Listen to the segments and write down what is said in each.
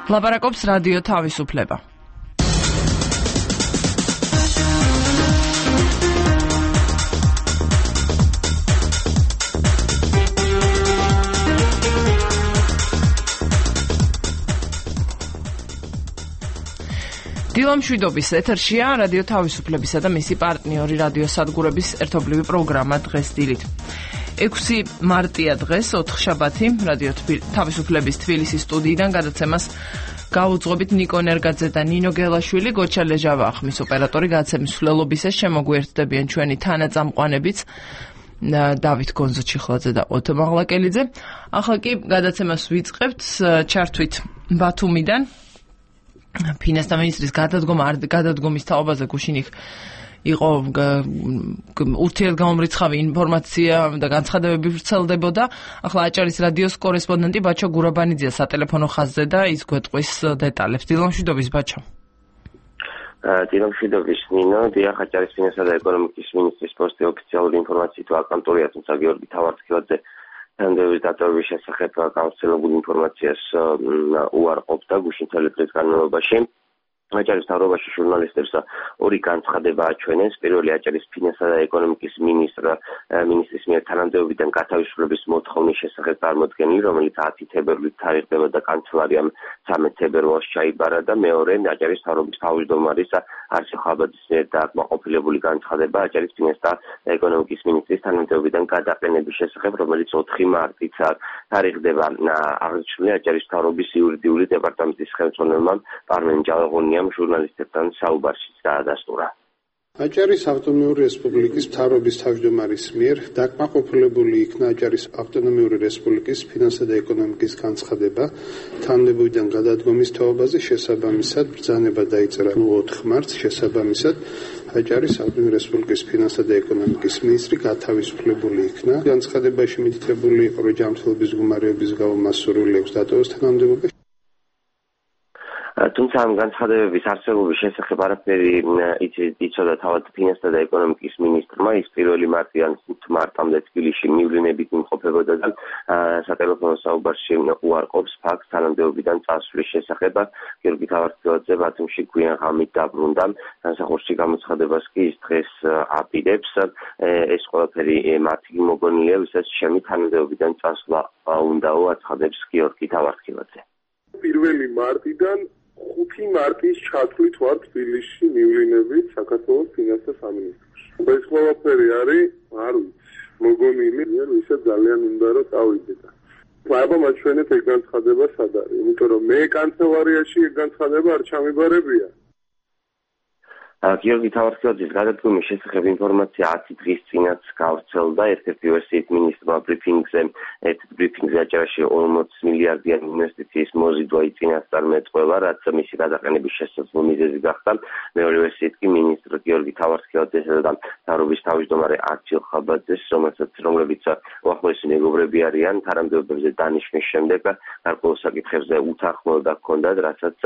ლაპარაკობს რადიო თავისუფლება. დილამშვიდობის ეთერშია რადიო თავისუფლებისა და მისი პარტნიორი რადიო სადგურების ერთობლივი პროგრამა დღეს დილით. 6 მარტია დღეს, ოთხშაბათი, რადიო თავისუფლების თბილისის სტუდიიდან გადაცემას გაუძღობით ნიკო ნერგაძე და ნინო გელაშვილი, გოჩა ლეჟავა ახმის ოპერატორი გადაცემის მსვლელობისას შემოგვიერთდებიან ჩვენი თანაწამყვანებიც დავით გონზოჩიხლაძე და ოთო მაღლაკელიძე. ახლა კი გადაცემას ვიწყებთ ჩართვით ბათუმიდან. ფინანსთა მინისტრის გადადგომის თაობაზე გუშინიხ იყო ურთიერთგამომრიცხავი ინფორმაცია და განცხადებები ვრცელდებოდა. ახლა აჭარის რადიოს კორესპონდენტი ბაჩო გურაბანიძეა სატელეფონო ხაზზე და ის გვეტყვის დეტალებს. დილამშვიდობის ბაჩო. დილამშვიდობის ნინო, დიახ, აჭარის ფინანსთა და ეკონომიკის მინისტრის პოსტი ოფიციალური ინფორმაციით ვაკანტურია, თუმცა გიორგი თავარცხილაძე თანამდებობის დატოვების შესახებ გავრცელებულ ინფორმაციას უარყოფდა გუშინ მთელი დღის განმავლობაში. აჭარის მთავრობაში ჟურნალისტებს ორი განცხადება აჩვენეს. პირველი აჭარის ფინანსთა და ეკონომიკის მინისტრის მიერ თანამდებობიდან გათავისუფლების მოთხოვნის შესახებ წარმოდგენილი, რომელიც 10 თებერვლით თარიღდებოდა კანცელარიამ 13 თებერვალს ჩაიბარა და მეორე აჭარის მთავრობის თავმჯდომარის არსენ ხაბაძის მიერ დააკმაყოფილებული განცხადება აჭარის ფინანსთა და ეკონომიკის მინისტრის თანამდებობიდან გადაყენების შესახებ, რომელიც 4 მარტით თარიღდება. აღნიშნული აჭარის მთავრობის იურიდიული დეპარტამენტის ხელმძღვანელმა პარმენ ჯავაღონიამ ჟურნალისტებთან საუბარშიც დაადასტურა. აჭარის ავტონომიური რესპუბლიკის მთავრობის თავმჯდომარის მიერ დაკმაყოფილებული იქნა აჭარის ავტონომიური რესპუბლიკის ფინანსთა და ეკონომიკის განცხადება თანამდებობიდან გადადგომის თაობაზე. შესაბამისად ბრძანება დაიწერა 4 მარტს. შესაბამისად აჭარის ავტონომიური რესპუბლიკის ფინანსთა და ეკონომიკის მინისტრი გათავისუფლებული იქნა. განცხადებაში მითითებული იყო, რომ ჯანმრთელობის მდგომარეობის გამო მას სურვილი აქვს დატოვოს თანამდებობა. თუმცა ამ განცხადებების არსებობის შესახებ არაფერი იცოდა თავად ფინანსთა და ეკონომიკის მინისტრმა. ის 1 მარტიდან 5 მარტამდე თბილისში მივლინებით იმყოფებოდა და სატელეფონო საუბარში უარყოფს ფაქტს თანამდებობიდან წასვლის შესახებ. გიორგი თავარცხილაძე ბათუმში გვიან ღამით დაბრუნდა. სამსახურში გამოცხადებას კი ის დღეს აპირებს. ეს ყველაფერი მათი მოგონილია, ვისაც ჩემი თანამდებობიდან წასვლა უნდაო, აცხადებს გიორგი თავარცხილაძე. 1 მარტიდან 5 მარტის ჩათვლით ვარ თბილისში მივლინებით საქართველოს ფინანსთა სამინისტროში. ეს ყველაფერი არის, არ ვიცი, მოგონილი, ვისაც ძალიან უნდა რომ წავიდე. აბა მაჩვენეთ ეგ განცხადება სად არის, იმიტომ რომ მე კანცელარიაში ეგ განცხადება არ ჩამიბარებია. გიორგი თავარცხილაძის გადადგომის შესახებ ინფორმაცია 10 დღის წინაც გავრცელდა. ერთ-ერთი ვერსიით მინისტრმა ბრიფინგზე აჭარაში 40 მილიარდიანი ინვესტიციის მოზიდვა წინასწარ მეწყვევა, რაც მისი გადაყენების შესაძლო მიზეზი გახდა. მეორე ვერსიით კი მინისტრ გიორგი თავარცხილაძესა და მთავრობის თავმჯდომარე არჩილ ხაბაძეს, რომლებიც უახლოესი მეგობრები არიან, თანამდებობებზე დანიშვნის შემდეგ გარკვეულ საკითხებზე უთანხმოება ჰქონდათ, რასაც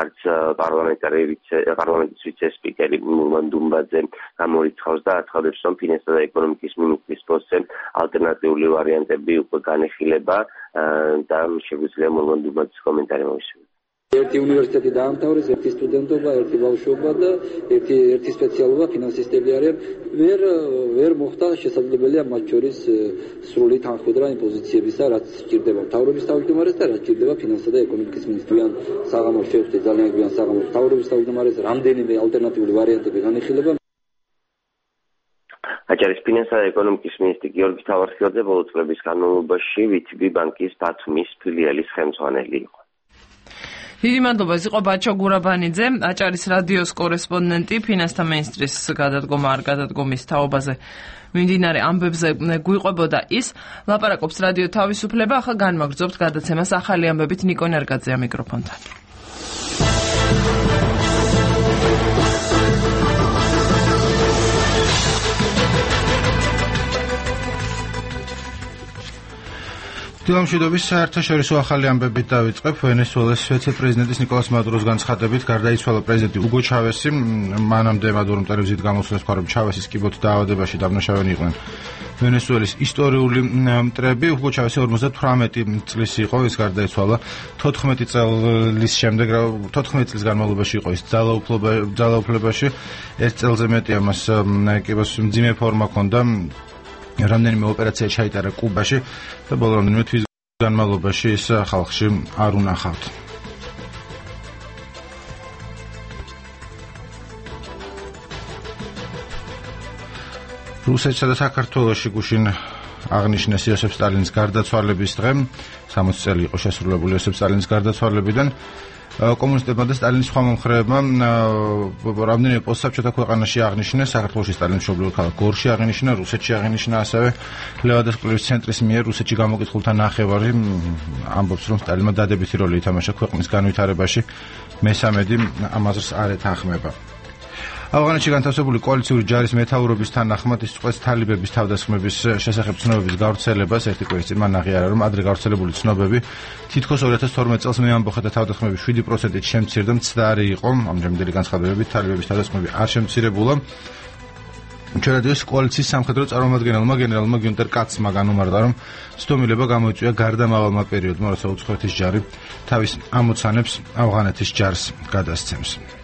არც პარლამენტის ვიცე-სპიკერი მურმან დუმბაძე გამორიცხავს და აცხადებს, რომ ფინანსთა და ეკონომიკის მინისტრის პოსტზე ალტერნატიული ვარიანტები უკვე განეხილება და შეგვიძლია მურმან დუმბაძის კომენტარი მოვისმინოთ. ერთი უნივერსიტეტი დაამთავრეს, ერთი სტუდენტობა, ერთი ბავშვობა და ერთი სპეციალობა ფინანსისტები არიან. ვერ მოხდა შესაძლებელია მათ შორის სრული თანხმობა იმ პოზიციებისა, რაც სჭირდება მთავრობის თავმჯდომარეს და რაც სჭირდება ფინანსთა და ეკონომიკის მინისტრიან საღამოს შევხვდით ძალიან გვიან საღამოს მთავრობის თავმჯდომარეს, რამდენიმე ალტერნატიული ვარიანტები განიხილება. აჭარის ფინანსთა და ეკონომიკის მინისტრი გიორგი თავარცხილაძე ბოლო წლების განმავლობაში VTB ბანკის ბათუმის ფილიალის ხელმძღვანელი იყო. დიდი მადლობა. ეს იყო ბაჩო გურაბანიძე, აჭარის რადიოს კორესპონდენტი. ფინანსთა მინისტრის გადადგომა არ გადადგომის თაობაზე მიმდინარე ამბებზე გვიყვებოდა ის. ლაპარაკობს რადიო თავისუფლება. ახლა განმაგრძობთ გადაცემას ახალი ამბებით ნიკო ნერგაძეა მიკროფონთან. დილამშვიდობის საერთაშორისო ახალი ამბებით დავიწყებ. ვენესუელის ვიცე-პრეზიდენტის ნიკოლას მადუროს განცხადებით გარდაიცვალა პრეზიდენტი უგო ჩავესი. მანამდე მადურომ ტელევიზიით გამოსვლას მხარობ ჩავესის კიბოთი დაავადებაში დამნაშავენი იყვნენ ვენესუელის ისტორიული მტრები. ჰუგო ჩავესი 58 წლის იყო, ის გარდაიცვალა 14 წლის შემდეგ, 14 წლის განმავლობაში იყო ის ძალაუფლებაში. ერთ წელზე მეტი ამას კიბოს მძიმე ფორმა ჰქონდა. რამდენიმე ოპერაცია ჩაიტარა კუბაში და ბოლო რამდენიმე თვის განმავლობაში ის ხალხში არ უნახავთ. რუსეთსა და საქართველოში გუშინ აღნიშნეს იოსებ სტალინის გარდაცვალების დღე. 60 წელი იყო შესრულებული იოსებ სტალინის გარდაცვალებიდან. კომუნისტებმა და სტალინის სხვა მომხრეებმა რამდენიმე პოსტსაბჭოთა ქვეყანაში აღნიშნეს. საქართველოში სტალინის მშობლიურ ქალაქ გორში აღინიშნა, რუსეთში აღინიშნა ასევე. ლევადას კვლევის ცენტრის მიერ რუსეთში გამოკითხულთა ნახევარი ამბობს, რომ სტალინმა დადებითი როლი ითამაშა ქვეყნის განვითარებაში. მესამედი ამაზრს არ ეთანხმება. ავღანეთში განთავსებული კოალიციური ჯარის მეთაურობის თანახმად ის წყვეტს თალიბების თავდასხმების შესახებ ცნობების გავრცელებას. ერთი კვირის წინ მან აღიარა, რომ ადრე გავრცელებული ცნობები თითქოს 2012 წელს მეამბოხეთა თავდასხმების 7%-ით შემცირდა, მცდარი იყო. ამჟამინდელი განცხადებებით თალიბების თავდასხმები არ შემცირებულა. ჩვენადიოს კოალიციის სამხედრო წარმომადგენელმა გენერალმა გიუნტერ კაცმა განუმარტა, რომ ცდომილება გამოიწვია გარდამავალმა პერიოდმა, როცა უცხოეთის ჯარი თავის ამოცანებს ავღანეთის ჯარს გადასცემს.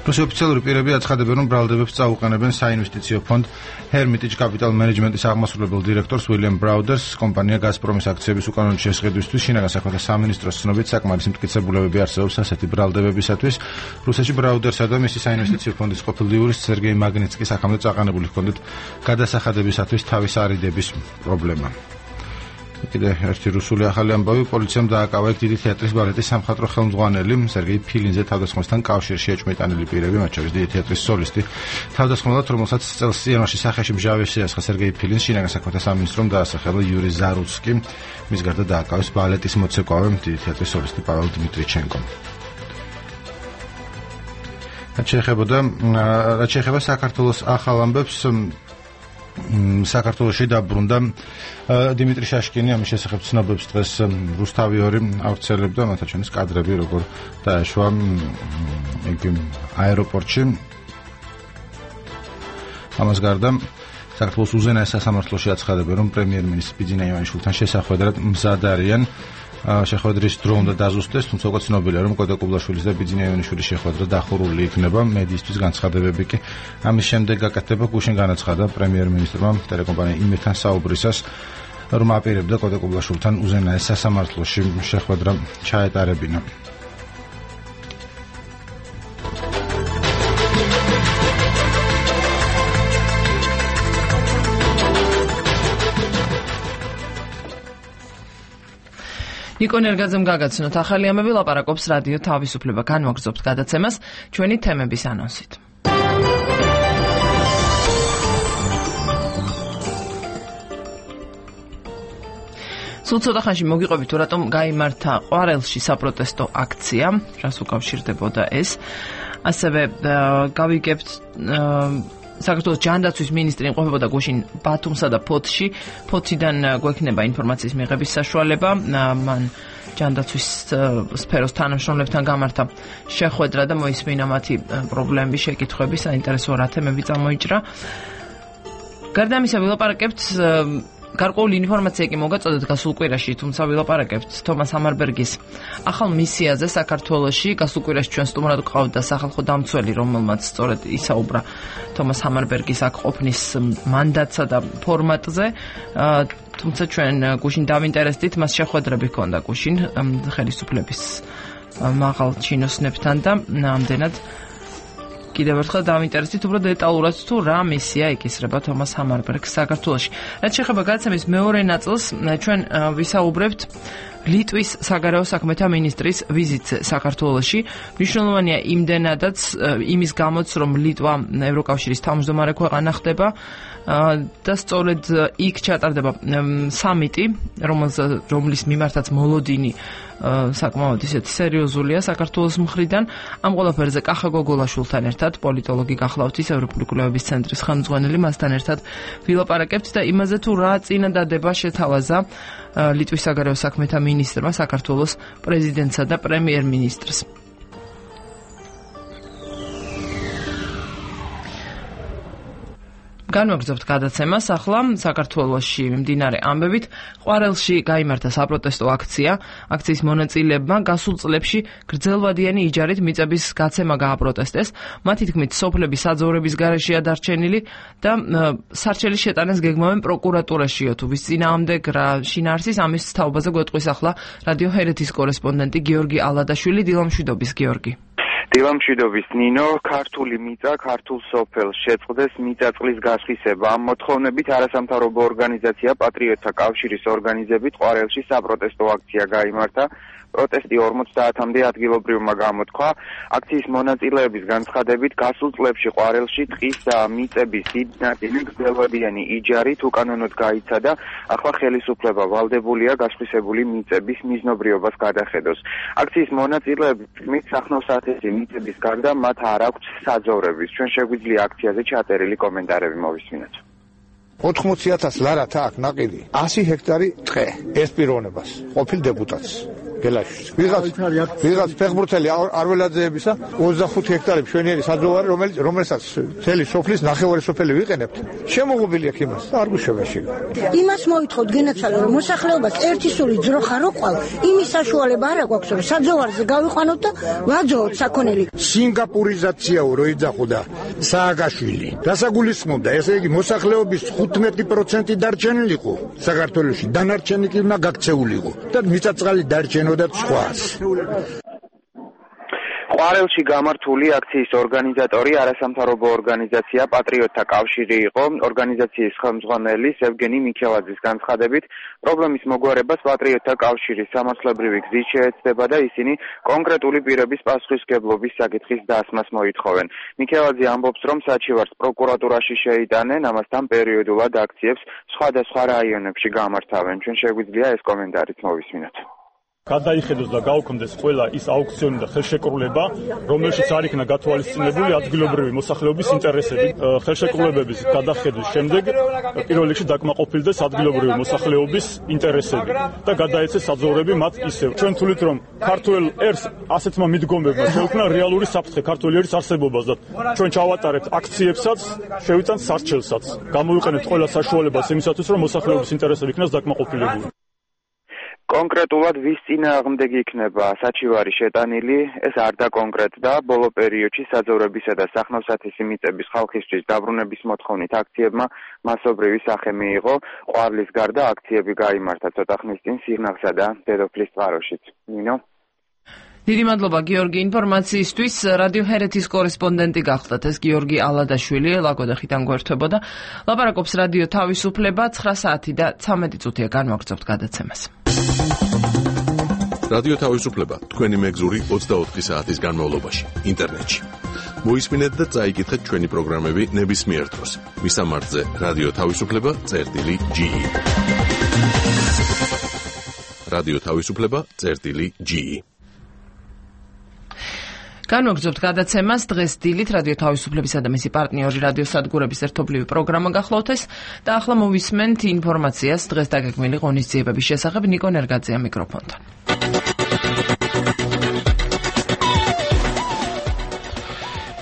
რუსეთის ოფიციალური პირები აცხადებენ, რომ ბრალდებებს წაუყენებენ საინვესტიციო ფონდ Hermitage Capital Management-ის აღმასრულებელ დირექტორს უილიამ ბრაუდერს კომპანია გაზპრომის აქციების უკანონო შესყიდვისთვის. შინაგან საქმეთა სამინისტროს ცნობით საკმარისი მტკიცებულებები არსებობს ასეთი ბრალდებებისათვის. რუსეთში ბრაუდერსა და მისი საინვესტიციო ფონდის ყოფილ იურისტ სერგეი მაგნიცკი საქამდე წაყენებული ჰქონდათ გადასახადებისათვის თავის არიდების პრობლემა. კიდე ერთი რუსული ახალი ამბავი. პოლიციამ დააკავა იქ დიდი თეატრის ბალეტის სამხატვრო ხელმძღვანელი სერგეი ფილინზე თავდასხმასთან კავშირში ეჭვმიტანილი პირები, მათ შორის დიდი თეატრის სოლისტი. თავდასხმელად, რომელსაც წელს იანვარში სახეში მჟავე შეასხა სერგეი ფილინს, შინაგან საქმეთა სამინისტრომ დაასახელა იური ზარუცკი. მის გარდა დააკავეს ბალეტის მოცეკვავე დიდი თეატრის სოლისტი პაվել დიმიტრიჩენკო. რაც შეეხება საქართველოს ახალ ამბებს, საქართველოში დაბრუნდა დიმიტრი შაშკინი. ამის შესახებ ცნობებს დღეს რუსთავი 2 ავრცელებდა, მათაჩვენის კადრები როგორ დაეშვა იგი აეროპორტში. ამას გარდა საქართველოს უზენაეს სასამართლოში აცხადებენ, რომ პრემიერ-მინისტრი ბიძინა ივანიშვილთან შესახვედრად მზად არიან. შეხვედრის დრო უნდა დაზუსტდეს, თუმცა უკვე ცნობილია, რომ კოტე კუბლაშვილის და ბიძინა ივანიშვილის შეხვედრა დახურული იქნება. მედიისთვის განცხადებები კი ამის შემდეგ გაკეთდება. გუშინ განაცხადა პრემიერ-მინისტრმა ტელეკომპანია იმედთან საუბრისას, რომ აპირებდა კოტე კუბლაშვილთან უზენაეს სასამართლოში შეხვედრა ჩაეტარებინა. ნიკო ნერგაძემ გაგაცნოთ ახალი ამბები, ლაპარაკობს რადიო თავისუფლება. განვაგრძობთ გადაცემას ჩვენი თემების ანონსით. სულ ცოტა ხანში მოგიყვებით, თუ რატომ გაიმართა ყვარელში საპროტესტო აქცია, რას უკავშირდებოდა ეს. ასევე გავიგებთ საქართველოს ჯანდაცვის მინისტრი იმყოფებოდა გუშინ ბათუმსა და ფოთში. ფოთიდან გვექნება ინფორმაციის მიღების საშუალება. მან ჯანდაცვის სფეროს თანამშრომლებთან გამართა შეხვედრა და მოისმინა მათი პრობლემები, შეკითხვები, საინტერესო რა თემები წამოიჭრა. გარდა ამისა ვილაპარაკებთ გარკვეული ინფორმაცია კი მოგაწოდეთ გასულ კვირაში, თუმცა ვილაპარაკებთ თომას ჰამარბერგის ახალ მისიაზე საქართველოში. გასულ კვირაში ჩვენ სტუმრად გვყავდა სახალხო დამცველი, რომელმაც სწორედ ისაუბრა თომას ჰამარბერგის აქ ყოფნის მანდატსა და ფორმატზე. თუმცა ჩვენ გუშინ დავინტერესდით, მას შეხვედრები ჰქონდა გუშინ ხელისუფლების მაღალ ჩინოსნებთან და ამდენად კიდევ ერთხელ დავინტერესდით უბრალოდ დეტალურად თუ რა მისია ეკისრება თომას ჰამარბერგს საქართველოში. რაც შეეხება გადაცემის მეორე ნაწილს, ჩვენ ვისაუბრებთ ლიტვის საგარეო საქმეთა მინისტრის ვიზიტზე საქართველოში. მნიშვნელოვანია იმდენადაც იმის გამოც, რომ ლიტვა ევროკავშირის თავმჯდომარე ქვეყანა ხდება და სწორედ იქ ჩატარდება სამიტი, რომლის მიმართაც მოლოდინი საკმაოდ ისეთი სერიოზულია საქართველოს მხრიდან. ამ ყველაფერზე კახა გოგოლაშვილთან ერთად, პოლიტოლოგი გახლავთ ის ევროპული კვლევების ცენტრის ხელმძღვანელი, მასთან ერთად ვილაპარაკებთ და იმაზე თუ რა წინადადება შეთავაზა ლიტვის საგარეო საქმეთა მინისტრმა საქართველოს პრეზიდენტსა და პრემიერ-მინისტრს. განვაგრძობთ გადაცემას. ახლა საქართველოში მიმდინარე ამბებით ყვარელში გაიმართა საპროტესტო აქცია. აქციის მონაწილეებმა გასულ წლებში გრძელვადიანი იჯარით მიწების გაცემა გააპროტესტეს. მათი თქმით, სოფლები საძოვრების გარეშეა დარჩენილი და სარჩელის შეტანას გეგმავენ პროკურატურაშიო. თუ ვის წინააღმდეგ რა შინაარსის, ამის თაობაზე გვეტყვის ახლა რადიო ჰერეთის კორესპონდენტი გიორგი ალადაშვილი. დილამშვიდობის გიორგი. დილამშვიდობის ნინო, ქართული მიწა ქართულ სოფელს შეწყდეს მიწაწლის გასხისება. ამ მოთხოვნებით არასამთავრობო ორგანიზაცია პატრიოტთა კავშირის ორგანიზებით ყვარელში საპროტესტო აქცია გაიმართა. პროტესტი 50-მდე ადგილობრივმა გამოთქვა. აქციის მონაწილეების განცხადებით გასულ წლებში ყვარელში ტყის და მიწების დიდი ნაწილი გრძელვადიანი იჯარით უკანონოდ გაიცადა. ახლა ხელისუფლება ვალდებულია გასხვისებული მიწების მიზნობრიობას გადახედოს. აქციის მონაწილეების თქმით, სახნავ-სათესი მიწების გარდა მათ არ აქვთ საძოვრების. ჩვენ შეგვიძლია აქციაზე ჩაწერილი კომენტარები მოვისმინოთ. 80,000 ლარათა აქ ნაყიდი 100 ჰექტარი ტყე ეს პიროვნებას ყოფილ დეპუტატს გელაშვილს ვიღაც ფეხბურთელი არველაძეებისა 25 ჰექტარი მშვენიერი საძოვარი რომელსაც მთელი სოფლის ნახევარი სოფელი ვიყენებთ შემოღობილი აქ იმას და არ გუშევაში იმას მოითხოვთ გენაცვალე რომ მოსახლეობას ერთი სული ძროხა რო ყვალ იმის საშუალება არ აქვს რომ საძოვარზე გავიყვანოთ და ვაძოვოთ საქონელი სინგაპურიზაციაო რო იძახოდა სააკაშვილი დასაგულისხმობდა ესე იგი მოსახლეობის 15% დარჩენილიყო საქართველოში დანარჩენი კი უნდა გაქცეულიყო და მიწაწყალი დარჩენოდა სხვას ყვარელში გამართული აქციის ორგანიზატორი არასამთავრობო ორგანიზაცია პატრიოტთა კავშირი იყო. ორგანიზაციის ხელმძღვანელი ევგენი მიქელაძის განცხადებით, პრობლემის მოგვარებას პატრიოტთა კავშირის სამართლებრივი გზით შეეცდება და ისინი კონკრეტული პირების პასუხისმგებლობის საკითხის დასმას მოითხოვენ. მიქელაძე ამბობს, რომ საჩივარს პროკურატურაში შეიტანენ, ამასთან პერიოდულად აქციებს სხვადასხვა რაიონებში გამართავენ. ჩვენ შეგვიძლია ეს კომენტარიც მოვისმინოთ. გადაიხედოს და გაუქმდეს ყველა ის აუქციონი და ხელშეკრულება, რომელშიც არ იქნა გათვალისწინებული ადგილობრივი მოსახლეობის ინტერესები. ხელშეკრულებების გადახედვის შემდეგ პირველ რიგში დაკმაყოფილდეს ადგილობრივი მოსახლეობის ინტერესები და გადაეცეს საძოვრები მათ ისევ. ჩვენ თვლით, რომ ქართულ ერს ასეთმა მიდგომებმა შეუქმნა რეალური საფრთხე ქართული ერის არსებობას და ჩვენ ჩავატარეთ აქციებსაც, შევიტანთ სარჩელსაც. გამოვიყენებთ ყველა საშუალებას იმისათვის, რომ მოსახლეობის ინტერესები იქნას დაკმაყოფილებული. კონკრეტულად ვის წინააღმდეგ იქნება საჩივარი შეტანილი, ეს არ დაკონკრეტდა. ბოლო პერიოდში საძოვრებისა და სახნავ-სათესი მიწების ხალხისთვის დაბრუნების მოთხოვნით აქციებმა მასობრივი სახე მიიღო. ყვარლის გარდა აქციები გაიმართა ცოტა ხნის წინ სიღნაღსა და დედოფლის წყაროშიც. ნინო დიდი მადლობა გიორგი ინფორმაციისთვის. რადიო ჰერეთის კორესპონდენტი გახლდათ ეს გიორგი ალადაშვილი ლაგოდეხიდან გვერდებოდა. ლაპარაკობს რადიო თავისუფლება 9 საათი და 13 წუთია განვაგრძობთ გადაცემას. რადიო თავისუფლება თქვენი მეგზური 24 საათის განმავლობაში ინტერნეტში. მოისმინეთ და წაიკითხეთ ჩვენი პროგრამები ნებისმიერ დროს. მისამართზე რადიო თავისუფლება.ge რადიო თავისუფლება.ge განვაგრძობთ გადაცემას დღეს დილით რადიო თავისუფლებისა და მისი პარტნიორი რადიო სადგურების ერთობლივი პროგრამა გახლავთ ეს და ახლა მოვისმენთ ინფორმაციას დღეს დაგეგმილი ღონისძიებების შესახებ. ნიკო ნერგაძეა მიკროფონთან.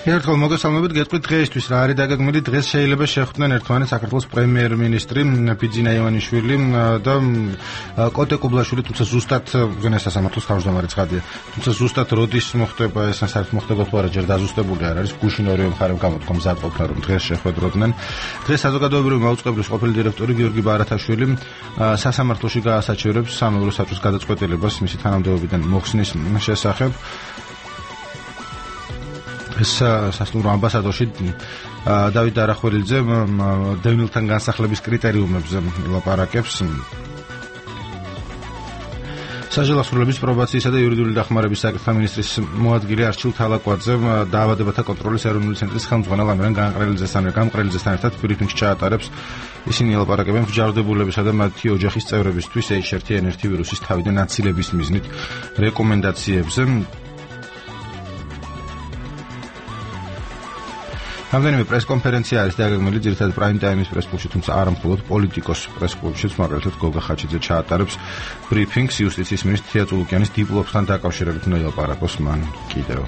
ერთხელ მოგესალმებით, გეტყვით დღეისთვის რა არის დაგეგმილი. დღეს შეიძლება შეხვდნენ ერთმანეთს საქართველოს პრემიერ-მინისტრი ბიძინა ივანიშვილი და კოტე კუბლაშვილი, თუმცა ზუსტად უგენეს სასამართლოს თავმჯდომარე ცხადია. თუმცა ზუსტად როდის მოხდება ეს საერთოდ მოხდება თუ არა ჯერ დაზუსტებული არ არის. გუშინ ორივე მხარემ გამოთქვა მზადყოფნა რომ დღეს შეხვედროდნენ. დღეს საზოგადოებრივი მაუწყებლის ყოფილი დირექტორი გიორგი ბარათაშვილი სასამართლოში გაასაჩივრებს სამეურვე საბჭოს გადაწყვეტილებას მისი თანამდებობიდან მოხსნის შესახებ. ეს სასტუმრო ამბასადორში დავით არახველიძე დევნილთან განსახლების კრიტერიუმებზე ლაპარაკებს. საჯელახსრულების პრობაციისა და იურიდიული დახმარების საკითხთა მინისტრის მოადგილე არჩილ თალაკვაძე დაავადებათა კონტროლის ეროვნული ცენტრის ხელმძღვანელ ამირან გამყრელიძესთან ერთად ბრიფინგს ჩაატარებს. ისინი ელაპარაკებენ მსჯავრდებულებისა და მათი ოჯახის წევრებისთვის H1N1 ვირუსის თავიდან აცილების მიზნით რეკომენდაციებზე. რამდენიმე პრესკონფერენცია არის დაგეგმილი ძირითადად პრაიმ ტაიმის პრესკლუბში, თუმცა არა მხოლოდ პოლიტიკოს პრესკლუბშიც, მაგალითად გოგა ხაჩიძე ჩაატარებს ბრიფინგს იუსტიციის მინისტრ თია წულუკიანის დიპლომთან დაკავშირებით უნდა ელაპარაკოს მან კიდევ.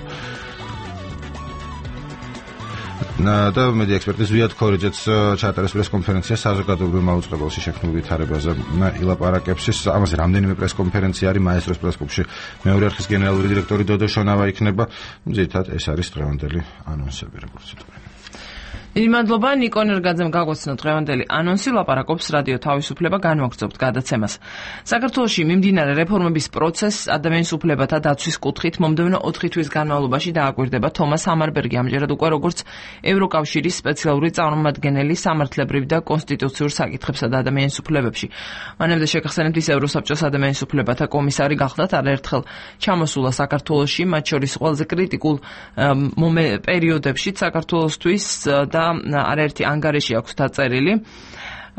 და მედი ექსპერტი ზვიად ქორიძეც ჩაატარეს პრესკონფერენცია საზოგადოებრივ მაუწყებელში შექმნილ ვითარებაზე ილაპარაკებს. ამაზე რამდენიმე პრესკონფერენცია არის მაესტროს პრესკლუბში. მეორე არხის გენერალური დირექტორი დოდო შონავა იქნება. ძირითადად ეს არის დღევანდელი ანონსები, როგორც ვიტყვი. მადლობა ნიკო ნერგაძემ გაგვაცნო დღევანდელი ანონსი, ლაპარაკობს რადიო თავისუფლება, განვაგრძობთ გადაცემას. საქართველოში მიმდინარე რეფორმების პროცესს ადამიანის უფლებათა დაცვის კუთხით მომდევნო 4 თვის განმავლობაში დააკვირდება თომას ჰამარბერგი, ამჯერად უკვე როგორც ევროკავშირის სპეციალური წარმომადგენელი სამართლებრივ და კონსტიტუციურ საკითხებსა და ადამიანის უფლებებში. მანამდე შეგახსენებთ, ის ევროსაბჭოს ადამიანის უფლებათა კომისარი გახდათ, არაერთხელ ჩამოსულა საქართველოში, მათ შორის ყველაზე კრიტიკულ პერიოდებში საქართველოსთვის და არაერთი ანგარიში აქვს დაწერილი.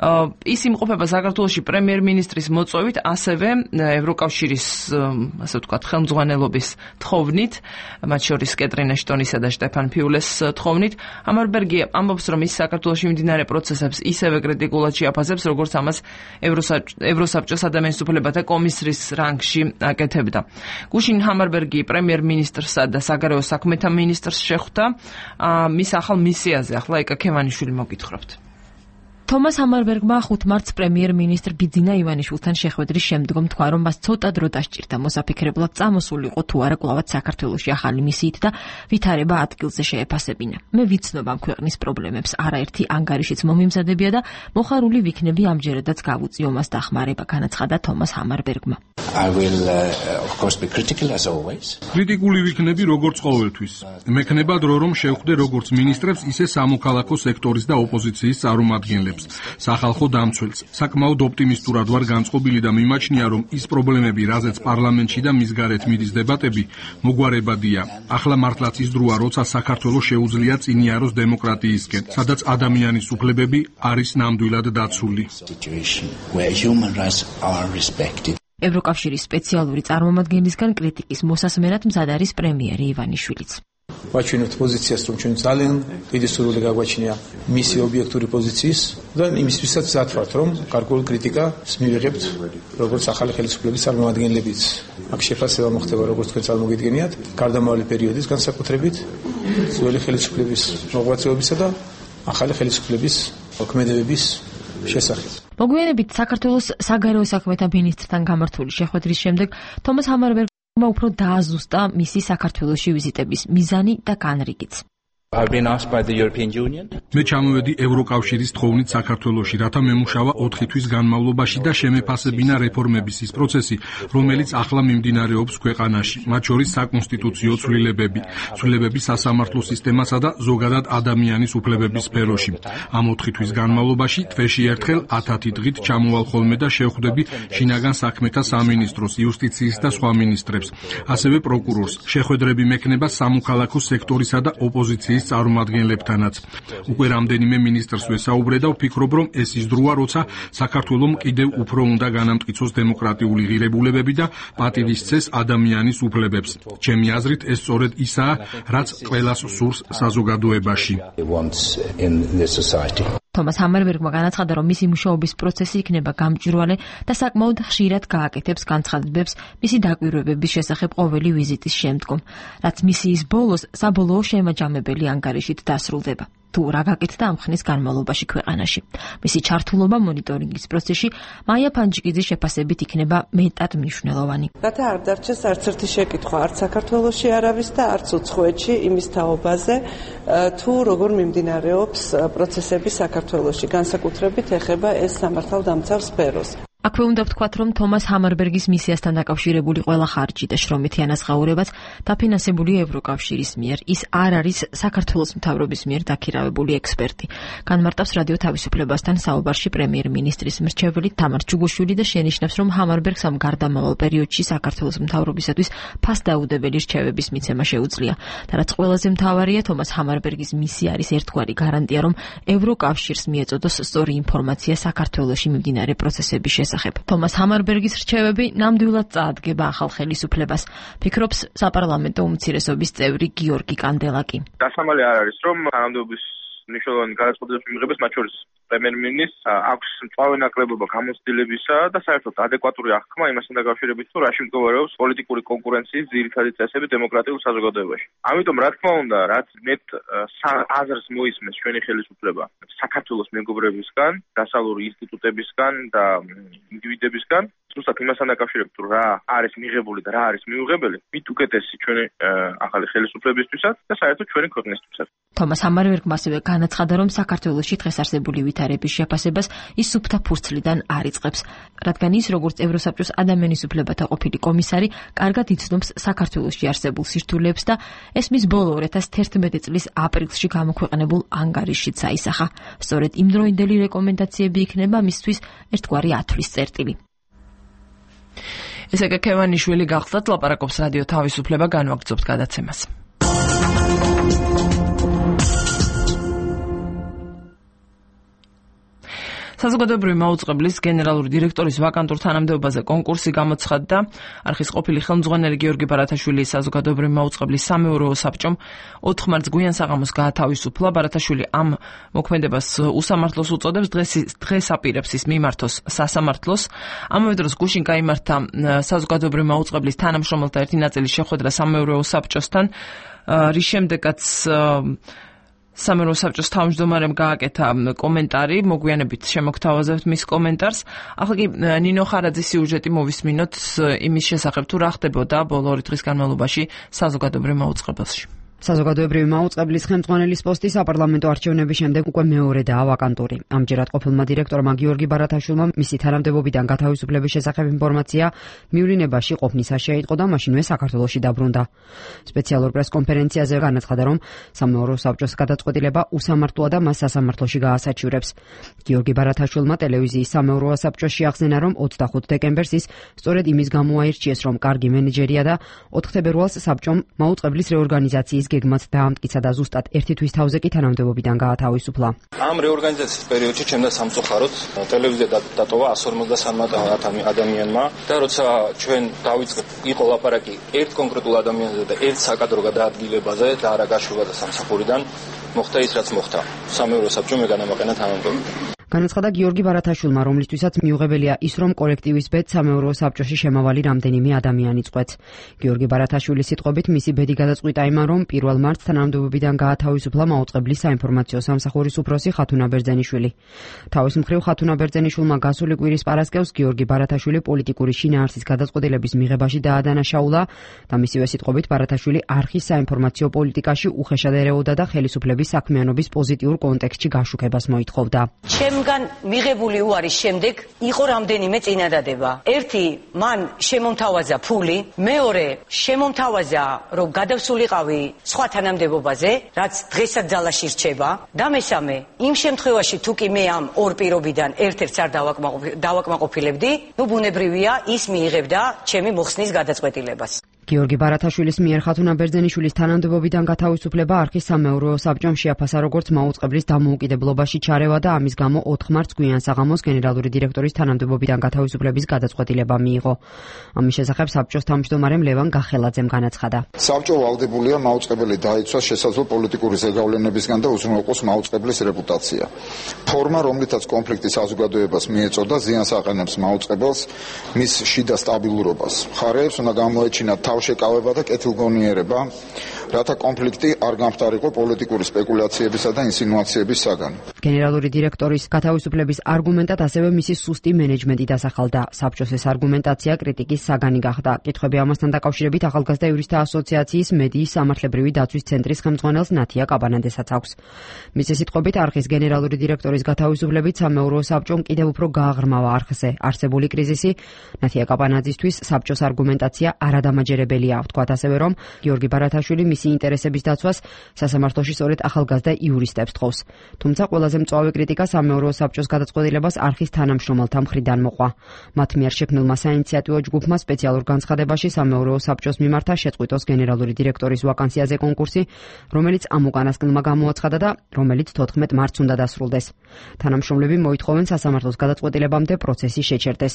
ის იმყოფება საქართველოში პრემიერ-მინისტრის მოწვევით, ასევე ევროკავშირის, ასე ვთქვათ, ხელმძღვანელობის თხოვნით, მათ შორის კეტრინ ეშტონისა და შტეფან ფიულეს თხოვნით. ჰამარბერგი ამბობს, რომ ის საქართველოში მიმდინარე პროცესებს ისევე კრიტიკულად შეაფასებს, როგორც ამას ევროსაბჭოს ადამიანის უფლებათა კომისრის რანგში აკეთებდა. გუშინ ჰამარბერგი პრემიერ-მინისტრსა და საგარეო საქმეთა მინისტრს შეხვდა მის ახალ მისიაზე. ახლა ეკა ქემანიშვილი მოგითხრობთ. თომას ჰამარბერგმა 5 მარტს პრემიერ-მინისტრ ბიძინა ივანიშვილთან შეხვედრის შემდგომ თქვა, რომ მას ცოტა დრო დასჭირდა მოსაფიქრებლად წამოსულიყო თუ არა კვლავაც საქართველოში ახალი მისიით და ვითარება ადგილზე შეეფასებინა. მე ვიცნობ ამ ქვეყნის პრობლემებს, არაერთი ანგარიშიც მომიმზადებია და მოხარული ვიქნები ამჯერადაც გავუწიო მას დახმარება, განაცხადა თომას ჰამარბერგმა. კრიტიკული ვიქნები როგორც ყოველთვის. მექნება დრო რომ შევხვდე როგორც მინისტრებს, ისე სამოქალაქო სექტორის და ოპოზიციის წარმომადგენლებს. სახალხო დამცველს. საკმაოდ ოპტიმისტურად ვარ განწყობილი და მიმაჩნია, რომ ის პრობლემები, რაზეც პარლამენტში და მის გარეთ მიდის დებატები, მოგვარებადია. ახლა მართლაც ის დროა, როცა საქართველოს შეუძლია წინიაროს დემოკრატიისკენ, სადაც ადამიანის უფლებები არის ნამდვილად დაცული. ევროკავშირის სპეციალური წარმომადგენლისგან κρიტიკის მოსასმენად მზად არის პრემიერი ივანიშვილიც. ვაჩვენებთ პოზიციას, რომ ჩვენ ძალიან დიდი სურვილი გაგვაჩნია მისი ობიექტური პოზიციის და იმისთვისაც მზად ვართ, რომ გარკვეული კრიტიკას მივიღებთ როგორც ახალი ხელისუფლების წარმომადგენლებიც. აქ შეფასება მოხდება, როგორც თქვენ წარმოგიდგენიათ, გარდამავალი პერიოდის განსაკუთრებით ძველი ხელისუფლების მოღვაწეობისა და ახალი ხელისუფლების მოქმედებების შესახებ. მოგვიანებით საქართველოს საგარეო საქმეთა მინისტრთან გამართული შეხვედრის შემდეგ თომას ჰამარბერგმა უფრო დააზუსტა მისი საქართველოში ვიზიტების მიზანი და განრიგიც. მე ჩამოვედი ევროკავშირის თხოვნით საქართველოში, რათა მემუშავა 4 თვის განმავლობაში და შემეფასებინა რეფორმების ის პროცესი, რომელიც ახლა მიმდინარეობს ქვეყანაში, მათ შორის საკონსტიტუციო ცვლილებები სასამართლო სისტემასა და ზოგადად ადამიანის უფლებების სფეროში. ამ 4 თვის განმავლობაში თვეში ერთხელ 10 დღით ჩამოვალ ხოლმე და შევხვდები შინაგან საქმეთა სამინისტროს, იუსტიციის და სხვა მინისტრებს, ასევე პროკურორს. შეხვედრები მექნება სამოქალაქო სექტორისა და ოპოზიციის წარმომადგენლებთანაც. უკვე რამდენიმე მინისტრს ვესაუბრე და ვფიქრობ, რომ ეს ის დროა, როცა საქართველომ კიდევ უფრო უნდა განამტკიცოს დემოკრატიული ღირებულებები და პატივისცეს ადამიანის უფლებებს. ჩემი აზრით, ეს სწორედ ისაა, რაც ყველას სურს საზოგადოებაში. თომას ჰამარბერგმა განაცხადა, რომ მისი მუშაობის პროცესი იქნება გამჭვირვალე და საკმაოდ ხშირად გააკეთებს განცხადებებს მისი დაკვირვებების შესახებ ყოველი ვიზიტის შემდგომ, რაც მისიის ბოლოს საბოლოო შემაჯამებელი ანგარიშით დასრულდება. თუ რა გაკეთდა ამ ხნის განმავლობაში ქვეყანაში. მისი ჩართულობა მონიტორინგის პროცესში მაია ფანჯიკიძის შეფასებით იქნება მეტად მნიშვნელოვანი. რათა არ დარჩეს არც ერთი შეკითხვა, არც საქართველოში არავის და არც უცხოეთში იმის თაობაზე, თუ როგორ მიმდინარეობს პროცესები საქართველოში, განსაკუთრებით ეხება ეს სამართალდამცავ სფეროს. აქვე უნდა ვთქვათ, რომ თომას ჰამარბერგის მისიასთან დაკავშირებული ყველა ხარჯი და შრომითი ანაზღაურებაც დაფინანსებულია ევროკავშირის მიერ. ის არ არის საქართველოს მთავრობის მიერ დაქირავებული ექსპერტი. განმარტავს რადიო თავისუფლებასთან საუბარში პრემიერ-მინისტრის მრჩეველი თამარ ჩუგუშვილი და შენიშნავს, რომ ჰამარბერგს ამ გარდამავალ პერიოდში საქართველოს მთავრობისათვის ფასდაუდებელი რჩევების მიცემა შეუძლია. და რაც ყველაზე მთავარია, თომას ჰამარბერგის მისია არის ერთგვარი გარანტია, რომ ევროკავშირს მიეწოდოს სწორი ინფორმაცია საქართველოში მიმდინარე პროცესების თომას ჰამარბერგის რჩევები ნამდვილად წაადგება ახალ ხელისუფლებას, ფიქრობს საპარლამენტო უმცირესობის წევრი გიორგი კანდელაკი. დასამალი არ არის, რომ თანამდებობის მნიშვნელოვანი გადაწყვეტილების მიღებას, მათ შორის პრემიერ-მინისტრს აქვს მწვავე ნაკლებობა გამოცდილებისა და საერთოდ ადეკვატური აღქმა იმასთან დაკავშირებით, თუ რაში მდგომარეობს პოლიტიკური კონკურენციის ძირითადი წესები დემოკრატიულ საზოგადოებაში. ამიტომ, რა თქმა უნდა, რაც მეტ აზრს მოისმენს ჩვენი ხელისუფლება საქართველოს მეგობრებისგან, დასავლური ინსტიტუტებისგან და ინდივიდებისგან, ზუსტად იმასთან დაკავშირებით, თუ რა არის მიღებული და რა არის მიუღებელი, მით უკეთესი ჩვენი ახალი ხელისუფლებისთვისაც და საერთოდ ჩვენი ქვეყნისთვისაც. თომას ამარვერგმა ასევე განაცხადა, რომ საქართველოში დღეს არსებული ვითარების შეფასებას ის სუფთა ფურცლიდან არ იწყებს, რადგან ის, როგორც ევროსაბჭოს ადამიანის უფლებათა ყოფილი კომისარი, კარგად იცნობს საქართველოში არსებულ სირთულეებს და ეს მის ბოლო 2011 წლის აპრილში გამოქვეყნებულ ანგარიშშიც აისახა. სწორედ იმდროინდელი რეკომენდაციები იქნება მისთვის ერთგვარი ათვლის წერტილი. ესეკა ქევანიშვილი გახსნათ, ლაპარაკობს რადიო თავისუფლება, განვაგრძობთ გადაცემას. საზოგადოებრივი მაუწყებლის გენერალური დირექტორის ვაკანტურ თანამდებობაზე კონკურსი გამოცხადდა. არხის ყოფილი ხელმძღვანელი გიორგი ბარათაშვილი საზოგადოებრივი მაუწყებლის სამეურვეო საბჭომ 4 მარტს გვიან საღამოს გაათავისუფლა. ბარათაშვილი ამ მოქმედებას უსამართლოს უწოდებს, დღეს აპირებს ის მიმართოს სასამართლოს. ამავე დროს გუშინ გაიმართა საზოგადოებრივი მაუწყებლის თანამშრომელთა ერთი ნაწილის შეხვედრა სამეურვეო საბჭოსთან, რის შემდეგაც სამეურვეო საბჭოს თავმჯდომარემ გააკეთა კომენტარი, მოგვიანებით შემოგთავაზებთ მის კომენტარს. ახლა კი ნინო ხარაძის სიუჟეტი მოვისმინოთ იმის შესახებ, თუ რა ხდებოდა ბოლო 2 დღის განმავლობაში საზოგადოებრივ მაუწყებელში. საზოგადოებრივი მაუწყებლის ხელმძღვანელის პოსტი საპარლამენტო არჩევნების შემდეგ უკვე მეორედაა ვაკანტური. ამჯერად ყოფილმა დირექტორმა გიორგი ბარათაშვილმა მისი თანამდებობიდან გათავისუფლების შესახებ ინფორმაცია მივლინებაში ყოფნისა შეიტყო და მაშინვე საქართველოში დაბრუნდა. სპეციალურ პრესკონფერენციაზე განაცხადა, რომ სამეურვეო საბჭოს გადაწყვეტილება უსამართლოა და მას სასამართლოში გაასაჩივრებს. გიორგი ბარათაშვილმა ტელევიზიის სამეურვეო საბჭოში ახსენა, რომ 25 დეკემბერს ის სწორედ იმის გამო აირჩიეს, რომ კარგი მენეჯერია და 4 თებერვალს საბჭომ მაუწყებლის რეორგანიზაციის გეგმაც დაამტკიცა და ზუსტად 1 თვის თავზე კი თანამდებობიდან გაათავისუფლა. ამ რეორგანიზაციის პერიოდში ჩემდა სამწუხაროდ ტელევიზია დატოვა 153 ადამიანმა და როცა ჩვენ დავიწყეთ იყო ლაპარაკი ერთ კონკრეტულ ადამიანზე და ერთ საკადრო გადაადგილებაზე და არა გაშვება და სამსახურიდან მოხდა ის რაც მოხდა. სამეურვეო საბჭომ განამაყენა თანამდებობა. განაცხადა გიორგი ბარათაშვილმა, რომლისთვისაც მიუღებელია ის, რომ კოლექტივის ბედს სამეურვეო საბჭოში შემავალი რამდენიმე ადამიანი წყვეტს. გიორგი ბარათაშვილის სიტყვებით, მისი ბედი გადაწყვიტა იმან, რომ 1 მარტს თანამდებობიდან გაათავისუფლა მაუწყებლის საინფორმაციო სამსახურის უფროსი ხათუნა ბერძენიშვილი. თავის მხრივ ხათუნა ბერძენიშვილმა გასული კვირის პარასკევს გიორგი ბარათაშვილი პოლიტიკური შინაარსის გადაწყვეტილების მიღებაში დაადანაშაულა და მისივე სიტყვებით ბარათაშვილი არხის საინფორმაციო პოლიტიკაში უხეშად ერეოდა და ხელისუფლების საქმიანობის პოზიტიურ კონტექსტში გაშუქებას მოითხოვდა. ჩემგან მიღებული უარის შემდეგ იყო რამდენიმე წინადადება. ერთი, მან შემომთავაზა ფული, მეორე, შემომთავაზა, რომ გადავსულიყავი სხვა თანამდებობაზე, რაც დღესაც ძალაში რჩება, და მესამე, იმ შემთხვევაში თუ კი მე ამ ორ პირობიდან ერთ-ერთს არ დავაკმაყოფილებდი, ნუ ბუნებრივია ის მიიღებდა ჩემი მოხსნის გადაწყვეტილებას. გიორგი ბარათაშვილის მიერ ხათუნა ბერძენიშვილის თანამდებობიდან გათავისუფლება არხის სამეურვეო საბჭომ შეაფასა როგორც მაუწყებლის დამოუკიდებლობაში ჩარევა და ამის გამო 4 მარტს გვიან საღამოს გენერალური დირექტორის თანამდებობიდან გათავისუფლების გადაწყვეტილება მიიღო. ამის შესახებ საბჭოს თავმჯდომარემ ლევან გახელაძემ განაცხადა. საბჭო ვალდებულია მაუწყებელი დაიცვას შესაძლო პოლიტიკური ზეგავლენებისგან და უზრუნველყოს მაუწყებლის რეპუტაცია. ფორმა, რომლითაც კონფლიქტი საზოგადოებას მიეწოდა, ზიანს აყენებს მაუწყებელს, მის შიდა სტაბილურობას. მხარეებს უნდა გამოეჩინათ შეკავება და კეთილგონიერება, რათა კონფლიქტი არ გამხდარიყო პოლიტიკური სპეკულაციებისა და ინსინუაციების საგანი. გენერალური დირექტორის გათავისუფლების არგუმენტად ასევე მისი სუსტი მენეჯმენტი დასახელდა. საბჭოს ეს არგუმენტაცია კრიტიკის საგანი გახდა. კითხვები ამასთან დაკავშირებით ახალგაზრდა იურისტთა ასოციაციის მედიის სამართლებრივი დაცვის ცენტრის ხელმძღვანელს ნათია კაბანაძესაც აქვს. მისი სიტყვებით არხის გენერალური დირექტორის გათავისუფლებით სამეურვეო საბჭომ კიდევ უფრო გააღრმავა არხზე არსებული კრიზისი. ნათია კაბანაძისთვის საბჭოს არგუმენტაცია არადამაჯერებელია. ვთქვათ ასევე, რომ გიორგი ბარათაშვილი მისი ინტერესების დაცვას სასამართლოში სწორედ ახალგაზრდა იურისტებს თხოვს. თუმცა ყველაზე მწვავე კრიტიკა სამეურვეო საბჭოს გადაწყვეტილებას არხის თანამშრომელთა მხრიდან მოყვა. მათ მიერ შექმნილმა საინიციატივო ჯგუფმა სპეციალურ განცხადებაში სამეურვეო საბჭოს მიმართა შეწყვიტოს გენერალური დირექტორის ვაკანსიაზე კონკურსი, რომელიც ამ უკანასკნელმა გამოაცხადა და რომელიც 14 მარტს უნდა დასრულდეს. თანამშრომლები მოითხოვენ სასამართლოს გადაწყვეტილებამდე პროცესი შეჩერდეს.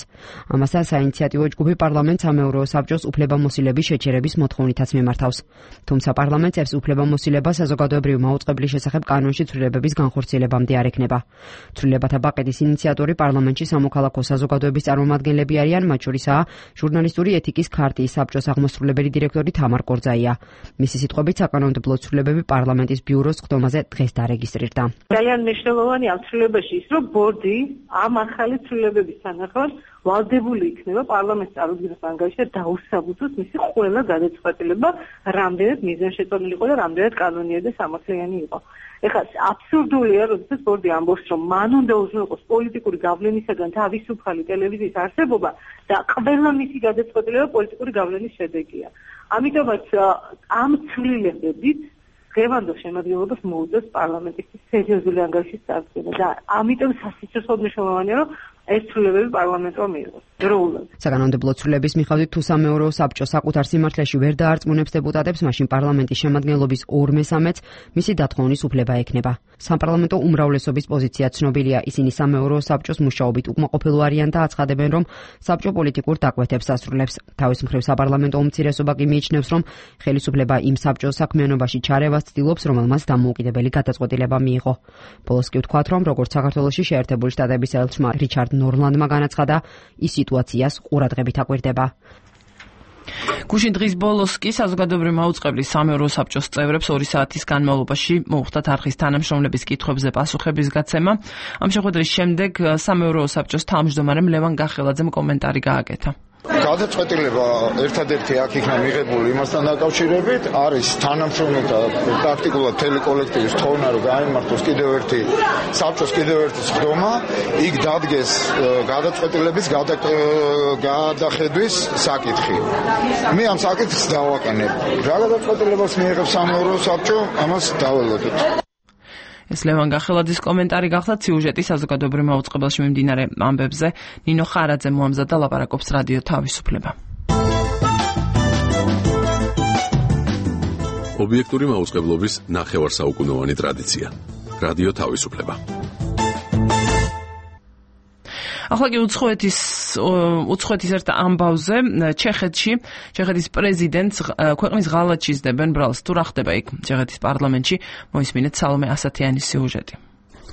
ამასთან საინიციატივო ჯგუფი პარლამენტს სამეურვეო საბჭოს უფლებამოსილების შეჩერების მოთხოვნითაც მიმართავს. თუმცა პარლამენტს უფლებამოსილება საზოგადოებრივი მაუწყებლის შესახებ კანონში ცვლილებების განხორციელებამდე არ ექნება. ცვლილებათა პაკეტის ინიციატორი პარლამენტში სამოქალაქო საზოგადოების წარმომადგენლები არიან, მათ შორისაა ჟურნალისტური ეთიკის ქარტიის საბჭოს აღმასრულებელი დირექტორი თამარ კორძაია. მისი სიტყვებით საკანონმდებლო ცვლილებები პარლამენტის ბიუროს ხდომაზე დღეს დარეგისტრირდა. ძალიან მნიშვნელოვანი ამ ცვლილებაში ის, რომ ბორდი ამ ახალი ცვლილებების თანახმად ვალდებული იქნება პარლამენტს წარუდგინოს ანგარიში და დაუსაბუთოს მისი ყველა გადაწყვეტილება, რამდენად მიზანშეწონილი იყო და რამდენად კანონიერი და სამართლიანი იყო. ეხლა აბსურდულია, როდესაც ბორდი ამბობს, რომ მან უნდა უზრუნველყოს პოლიტიკური გავლენისაგან თავისუფალი ტელევიზიის არსებობა და ყველა მისი გადაწყვეტილება პოლიტიკური გავლენის შედეგია. ამიტომაც ამ ცვლილებებით დღევანდელ შემადგენლობას მოუწევს პარლამენტის სერიოზული ანგარიშის წარდგენა და ამიტომ სასიცოცხლოდ მნიშვნელოვანია, რომ ეს ცვლილებები პარლამენტმა მიიღოს. საკანონმდებლო ცვლილების მიხედვით თუ სამეურვეო საბჭო საკუთარ სიმართლეში ვერ დაარწმუნებს დეპუტატებს, მაშინ პარლამენტის შემადგენლობის 2/3-ს მისი დათხოვნის უფლება ექნება. საპარლამენტო უმრავლესობის პოზიცია ცნობილია, ისინი სამეურვეო საბჭოს მუშაობით უკმაყოფილო არიან და აცხადებენ, რომ საბჭო პოლიტიკურ დაკვეთებს ასრულებს. თავის მხრივ საპარლამენტო უმცირესობა კი მიიჩნევს, რომ ხელისუფლება იმ საბჭოს საქმიანობაში ჩარევას ცდილობს, რომელმაც დამოუკიდებელი გადაწყვეტილება მიიღო. ბოლოს კი ვთქვათ, რომ როგორც საქართველოში შეერთებული შტატების ელჩმა რიჩარდ ნორლანდმა განაცხადა, ის სიტუაციას ყურადღებით აკვირდება. გუშინ დღის ბოლოს კი საზოგადოებრივი მაუწყებლის სამეურვეო საბჭოს წევრებს 2 საათის განმავლობაში მოუხდათ არხის თანამშრომლების კითხვებზე პასუხების გაცემა. ამ შეხვედრის შემდეგ სამეურვეო საბჭოს თავმჯდომარემ ლევან გახელაძემ კომენტარი გააკეთა. გადაწყვეტილება ერთადერთი აქ იქნა მიღებული იმასთან დაკავშირებით, არის თანამშრომელთა ტაქტიკულად მთელი კოლექტივის თხოვნა, რომ გაიმართოს საბჭოს კიდევ ერთი სხდომა, იქ დადგეს გადაწყვეტილების გადახედვის საკითხი. მე ამ საკითხს დავაყენებ. რა გადაწყვეტილებას მიიღებს სამეურვეო საბჭო, ამას დაველოდოთ. ეს ლევან გახელაძის კომენტარი გახდა. სიუჟეტი საზოგადოებრივ მაუწყებელში მიმდინარე ამბებზე ნინო ხარაძე მოამზადა, ლაპარაკობს რადიო თავისუფლება. ობიექტური მაუწყებლობის ნახევარსაუკუნოვანი ტრადიცია. რადიო თავისუფლება. ახლა კი უცხოეთის ერთ ამბავზე ჩეხეთის პრეზიდენტს ქვეყნის ღალატში სდებენ ბრალს. თუ რა ხდება იქ ჩეხეთის პარლამენტში, მოისმინეთ სალომე ასათიანის სიუჟეტი.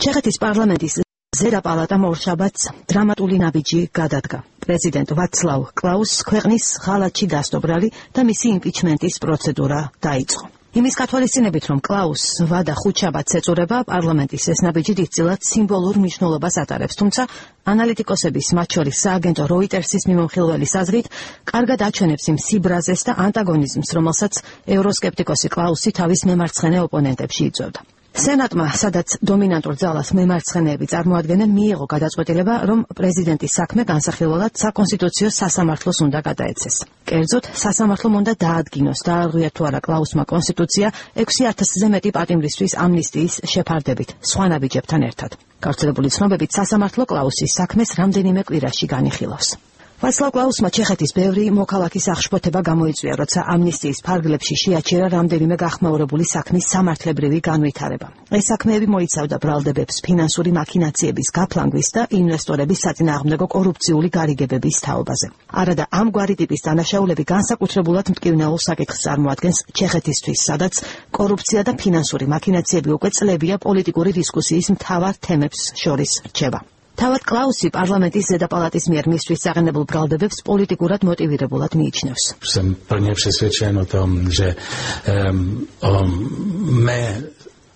ჩეხეთის პარლამენტის ზედა პალატამ ორშაბათს დრამატული ნაბიჯი გადადგა. პრეზიდენტ ვაცლავ კლაუსს ქვეყნის ღალატში დასტობრალი და მისი იმპიჩმენტის პროცედურა დაიწყო. იმის გათვალისწინებით, რომ კლაუსს ვადა ხუთშაბათს ეწურება, პარლამენტის ეს ნაბიჯი დიდწილად სიმბოლურ მნიშვნელობას ატარებს, თუმცა ანალიტიკოსების, მათ შორის სააგენტო როიტერსის მიმოხილველის აზრით, კარგად აჩვენებს იმ სიბრაზეს და ანტაგონიზმს, რომელსაც ევროსკეპტიკოსი კლაუსი თავის მემარცხენე ოპონენტებში იწვევდა. სენატმა, სადაც დომინანტურ ძალას მემარცხენეები წარმოადგენენ, მიიღო გადაწყვეტილება, რომ პრეზიდენტის საქმე განსახილველად საკონსტიტუციო სასამართლოს უნდა გადაეცეს. კერძოდ, სასამართლომ უნდა დაადგინოს, დაარღვია თუ არა კლაუსმა კონსტიტუცია 6000-ზე მეტი პატიმრისთვის ამნისტიის შეფარდებით, სხვა ნაბიჯებთან ერთად. გავრცელებული ცნობებით, სასამართლო კლაუსის საქმეს რამდენიმე კვირაში განიხილავს. ვაცლავ კლაუსმა ჩეხეთის ბევრი მოქალაქის აღშფოთება გამოიწვია, როცა ამნისტიის ფარგლებში შეაჩერა რამდენიმე გახმაურებული საქმის სამართლებრივი განვითარება. ეს საქმეები მოიცავდა ბრალდებებს, ფინანსური მაქინაციების გაფლანგვის და ინვესტორების საწინააღმდეგო კორუფციული გარიგებების თაობაზე. არადა ამგვარი ტიპის დანაშაულები განსაკუთრებულად მტკივნეულ საკითხს წარმოადგენს ჩეხეთისთვის, სადაც კორუფცია და ფინანსური მაქინაციები უკვე წლებია პოლიტიკური დისკუსიის მთავარ თემებს შორის რჩება. თავად კლაუსი პარლამენტის ზედა პალატის მიერ მისთვის აღენებულ ბრალდებებს პოლიტიკურად მოტივირებულად მიიჩნევს. Jsem plně přesvědčen o tom, že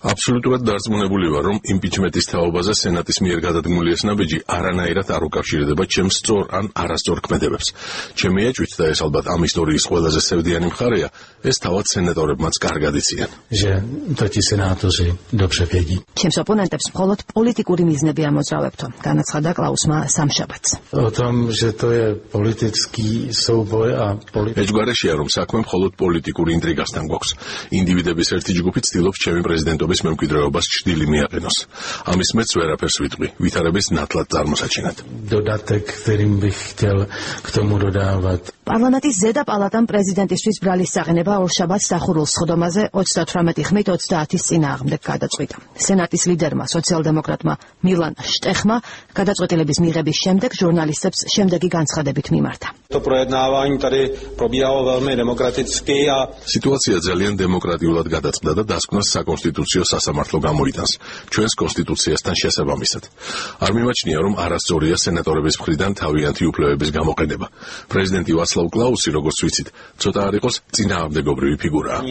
აბსოლუტურად დარწმუნებული ვარ, რომ იმპიჩმენტის თაობაზე სენატის მიერ გადადგმული ეს ნაბიჯი არანაირად არ უკავშირდება ჩემს სწორ ან არასწორ ქმედებებს. ჩემი ეჭვით და ეს ალბათ ამ ისტორიის ყველაზე სევდიანი მხარეა, ეს თავად სენატორებმაც კარგად იციან. ჩემს ოპონენტებს მხოლოდ პოლიტიკური მიზნები ამოძრავებთო, განაცხადა კლაუსმა სამშაბათს. ეჭვგარეშეა, რომ საქმე მხოლოდ პოლიტიკური ინტრიგასთან გვაქვს. ინდივიდების ერთი ჯგუფი ცდილობს ჩემი პრეზიდენტობის მემკვიდრეობას ჭრილი მიაყენოს. ამის მეც ვერაფერს ვიტყვი, ვითარების ნათლად წარმოსაჩინად. პარლამენტის ზედა პალატამ პრეზიდენტისთვის ბრალის წაღინება ორშაბათს დახურულს სხდომაზე 38 ხმით 30-ის წინააღმდეგ გადაწყვიტა. სენატის ლიდერმა სოციალ-დემოკრატმა მილან შტეხმა გადაწყვეტილების მიღების შემდეგ ჟურნალისტებს შემდეგი განცხადებით მიმართა. სიტუაცია ძალიან დემოკრატიულად გადაწყდა და დასკვნას საკონსტიტუციო სასამართლო გამოიტანს ჩვენს კონსტიტუციასთან შესაბამისად. არ მიმაჩნია, რომ არასწორია სენატორების მხრიდან თავიანთი უფლებების გამოყენება. პრეზიდენტი ვაცლავ კლაუსი, როგორც ვიცით, ცოტა არ იყოს წინააღმდეგობრივი ფიგურაა.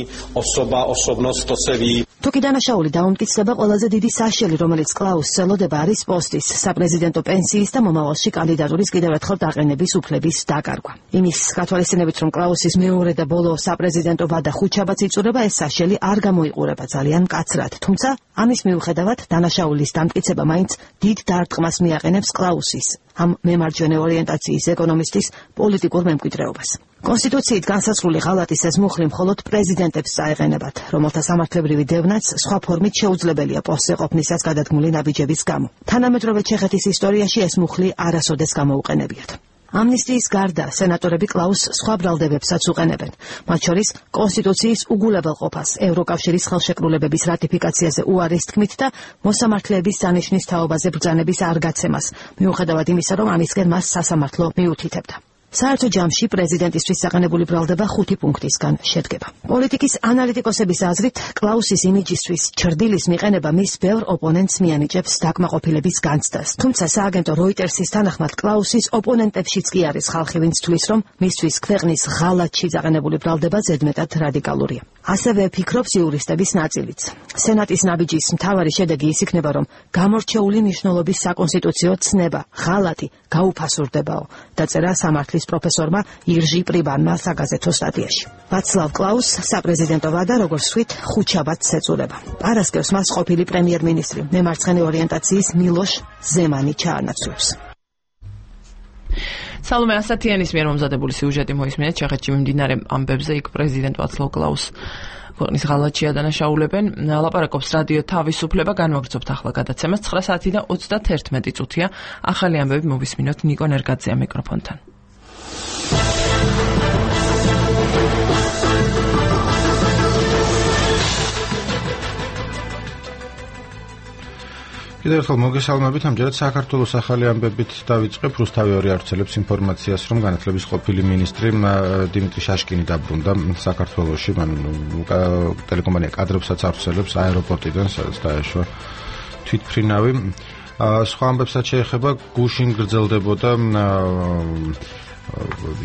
თუკი დანაშაული დაუმტკიცდება, ყველაზე დიდი საშელი, რომელიც კლაუსს ელოდება, არის პოსტის, საპრეზიდენტო პენსიის და მომავალში კანდიდატურის კიდევ ერთხელ დაყენების უფლების დაკარგვა. იმის გათვალისწინებით, რომ კლაუსის მეორე და ბოლო საპრეზიდენტო ვადა ხუთშაბათს იწურება, ეს საშელი არ გამოიყურება ძალიან მკაცრად. თუმცა, ამის მიუხედავად, დანაშაულის დამტკიცება მაინც დიდ დარტყმას მიაყენებს კლაუსის, ამ მემარჯვენე ორიენტაციის ეკონომისტის პოლიტიკურ მემკვიდრეობას. კონსტიტუციით განსაზღვრული ღალატის ეს მუხლი მხოლოდ პრეზიდენტებს წაეყენებათ, რომელთა სამართლებრივი დევნაც სხვა ფორმით შეუძლებელია პოსტზე ყოფნისას გადადგმული ნაბიჯების გამო. თანამედროვე ჩეხეთის ისტორიაში ეს მუხლი არასოდეს გამოუყენებიათ. ამნისტიის გარდა სენატორები კლაუსს სხვა ბრალდებებსაც უყენებენ, მათ შორის კონსტიტუციის უგულებელყოფას, ევროკავშირის ხელშეკრულებების რატიფიკაციაზე უარის თქმით და მოსამართლეების სანიშნის თაობაზე ბრძანების არ გაცემას, მიუხედავად იმისა, რომ ამისკენ მას სასამართლო მიუთითებდა. საერთო ჯამში პრეზიდენტისთვის საყენებული ბრალდება 5 პუნქტისგან შედგება. პოლიტიკის ანალიტიკოსების აზრით, კლაუსის იმიჯისთვის ჩრდილის მიყენება მის ბევრ ოპონენტს მიანიჭებს დაკმაყოფილების განცდას. თუმცა სააგენტო როიტერსის თანახმად კლაუსის ოპონენტებშიც კი არის ხალხი, ვინც თვლის, რომ მისთვის ქვეყნის ღალატში დაყენებული ბრალდება ზედმეტად რადიკალურია. ასევე ფიქრობს იურისტების ნაწილიც. სენატის ნაბიჯის მთავარი შედეგი ის იქნება, რომ გამორჩეული მნიშვნელობის საკონსტიტუციო ცნება, ღალატი გაუფასურდებაო, დაწერა სამართლის პროფესორმა ირჟი პრიბანმა საგაზეთო სტატიაში. ვაცლავ კლაუს საპრეზიდენტო ვადა, როგორც ვთქვით, ხუთშაბათს ეწურება. პარასკევს მას ყოფილი პრემიერ-მინისტრი, მემარცხენე ორიენტაციის მილოშ ზემანი ჩაანაცვლებს. სალომე ასათიანის მიერ მომზადებული სიუჟეტი მოისმინეთ ჩეხეთში მიმდინარე ამბებზე, იქ პრეზიდენტ ვაცლავ კლაუს ქვეყნის ღალატში ადანაშაულებენ. ლაპარაკობს რადიო თავისუფლება, განვაგრძობთ ახლა გადაცემას 9 საათი და 31 წუთია. ახალი ამბები მოვისმინოთ ნიკო ნერგაძეა მიკროფონთან. კიდევ ერთხელ მოგესალმებით. ამჯერად საქართველოს ახალი ამბებით დავიწყებ. რუსთავი 2 ავრცელებს ინფორმაციას, რომ განათლების ყოფილი მინისტრი დიმიტრი შაშკინი დაბრუნდა საქართველოში. მან ტელეკომპანია კადრებსაც ავრცელებს აეროპორტიდან, სადაც დაეშვა თვითმფრინავი. სხვა ამბებსაც შეეხება გუშინ გრძელდებოდა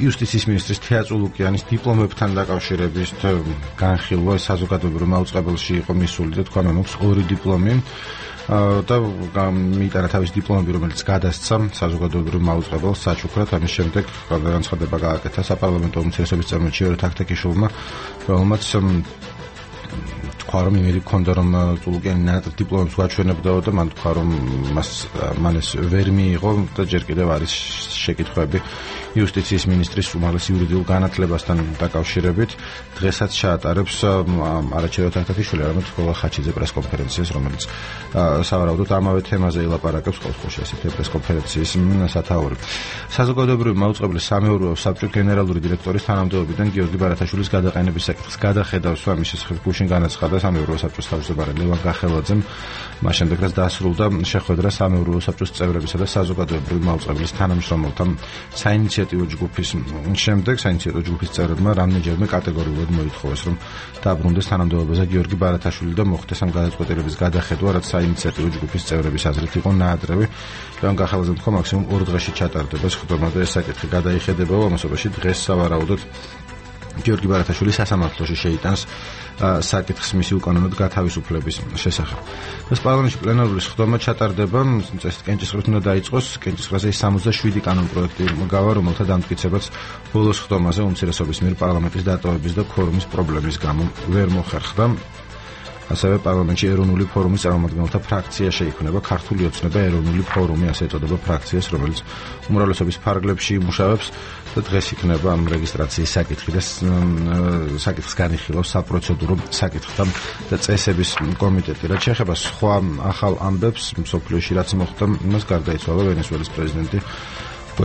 იუსტიციის მინისტრის თეატ ულუკიანის დიპლომებთან დაკავშირებით განხილვა საზოგადოებრივ მაუწყებელში იყო მისული და თქვა, მაქვს 2 დიპლომი და მიიტანა თავის დიპლომები, რომელიც გადასცა საზოგადოებრივ მაუწყებელს საჩუქრად. ამის შემდეგ განცხადება გააკეთა საპარლამენტო უმცირესობის წარმომადგენელი ჟიორ თაქთაქიშვილმა, რომელმაც თქვა, რომ იმედი ჰქონდა, რომ ულუკიანი ნატრ დიპლომებს გვაჩვენებდაო და მან თქვა, რომ მან ეს ვერ მიიღო და ჯერ კიდევ არის შეკითხვები იუსტიციის მინისტრის უმაღლეს იურიდიულ განათლებასთან დაკავშირებით. დღესაც ჩაატარებს არაჩერო თაქთაქიშვილი, არამედ გოგა ხაჩიძე პრესკონფერენციას, რომელიც სავარაუდოდ ამავე თემაზე ელაპარაკებს ყოველთვის ესეთი პრესკონფერენციის სათაური. საზოგადოებრივი მაუწყებლის სამეურვეო საბჭოს გენერალური დირექტორის თანამდებობიდან გიორგი ბარათაშვილის გადაყენების საკითხს გადახედავს, ამის შესახებ გუშინ განაცხადა სამეურვეო საბჭოს თავმჯდომარე ლევან გახელაძემ. მას შემდეგ რაც დასრულდა შეხვედრა სამეურვეო საბჭოს წევრებისა და საზოგადოებრივი მაუწყებლის თანამშრომელთა საინიციატივო ჯგუფის შემდეგ საინიციატივო ჯგუფის წევრებმა რამდენჯერმე კატეგორიულად მოითხოვეს, რომ დაბრუნდეს თანამდებობაზე გიორგი ბარათაშვილი და მოხდეს ამ გადაწყვეტილების გადახედვა, რაც საინიციატივო ჯგუფის წევრების აზრით იყო ნაადრევი. ლევან გახელაძემ თქვა, მაქსიმუმ 2 დღეში ჩატარდება სხდომა და ეს საკითხი გადაიხედებაო. ამასობაში დღეს სავარაუდოდ გიორგი ბარათაშვილი სასამართლოში შეიტანს საკითხს მისი უკანონოდ გათავისუფლების შესახებ. ეს პარლამენტში პლენარული სხდომა ჩატარდება, კენჭისყრით უნდა დაიწყოს. კენჭისყრაზე 67 კანონპროექტი გავა, რომელთა დამტკიცებაც ბოლო სხდომაზე უმცირესობის მიერ პარლამენტის დატოვების და ქორუმის პრობლემის გამო ვერ მოხერხდა. ასევე პარლამენტში ეროვნული ფორუმის წარმომადგენელთა ფრაქცია შეიქმნება, ქართული ოცნება ეროვნული ფორუმი, ასე ეწოდება ფრაქციას, რომელიც უმრავლესობის ფარგლებში იმუშავებს და დღეს იქნება ამ რეგისტრაციის საკითხი და საკითხს განიხილავს საპროცედურო საკითხთა და წესების კომიტეტი. რაც შეეხება სხვა ახალ ამბებს მსოფლიოში, რაც მოხდა, იმას გარდაიცვალა ვენესუელის პრეზიდენტი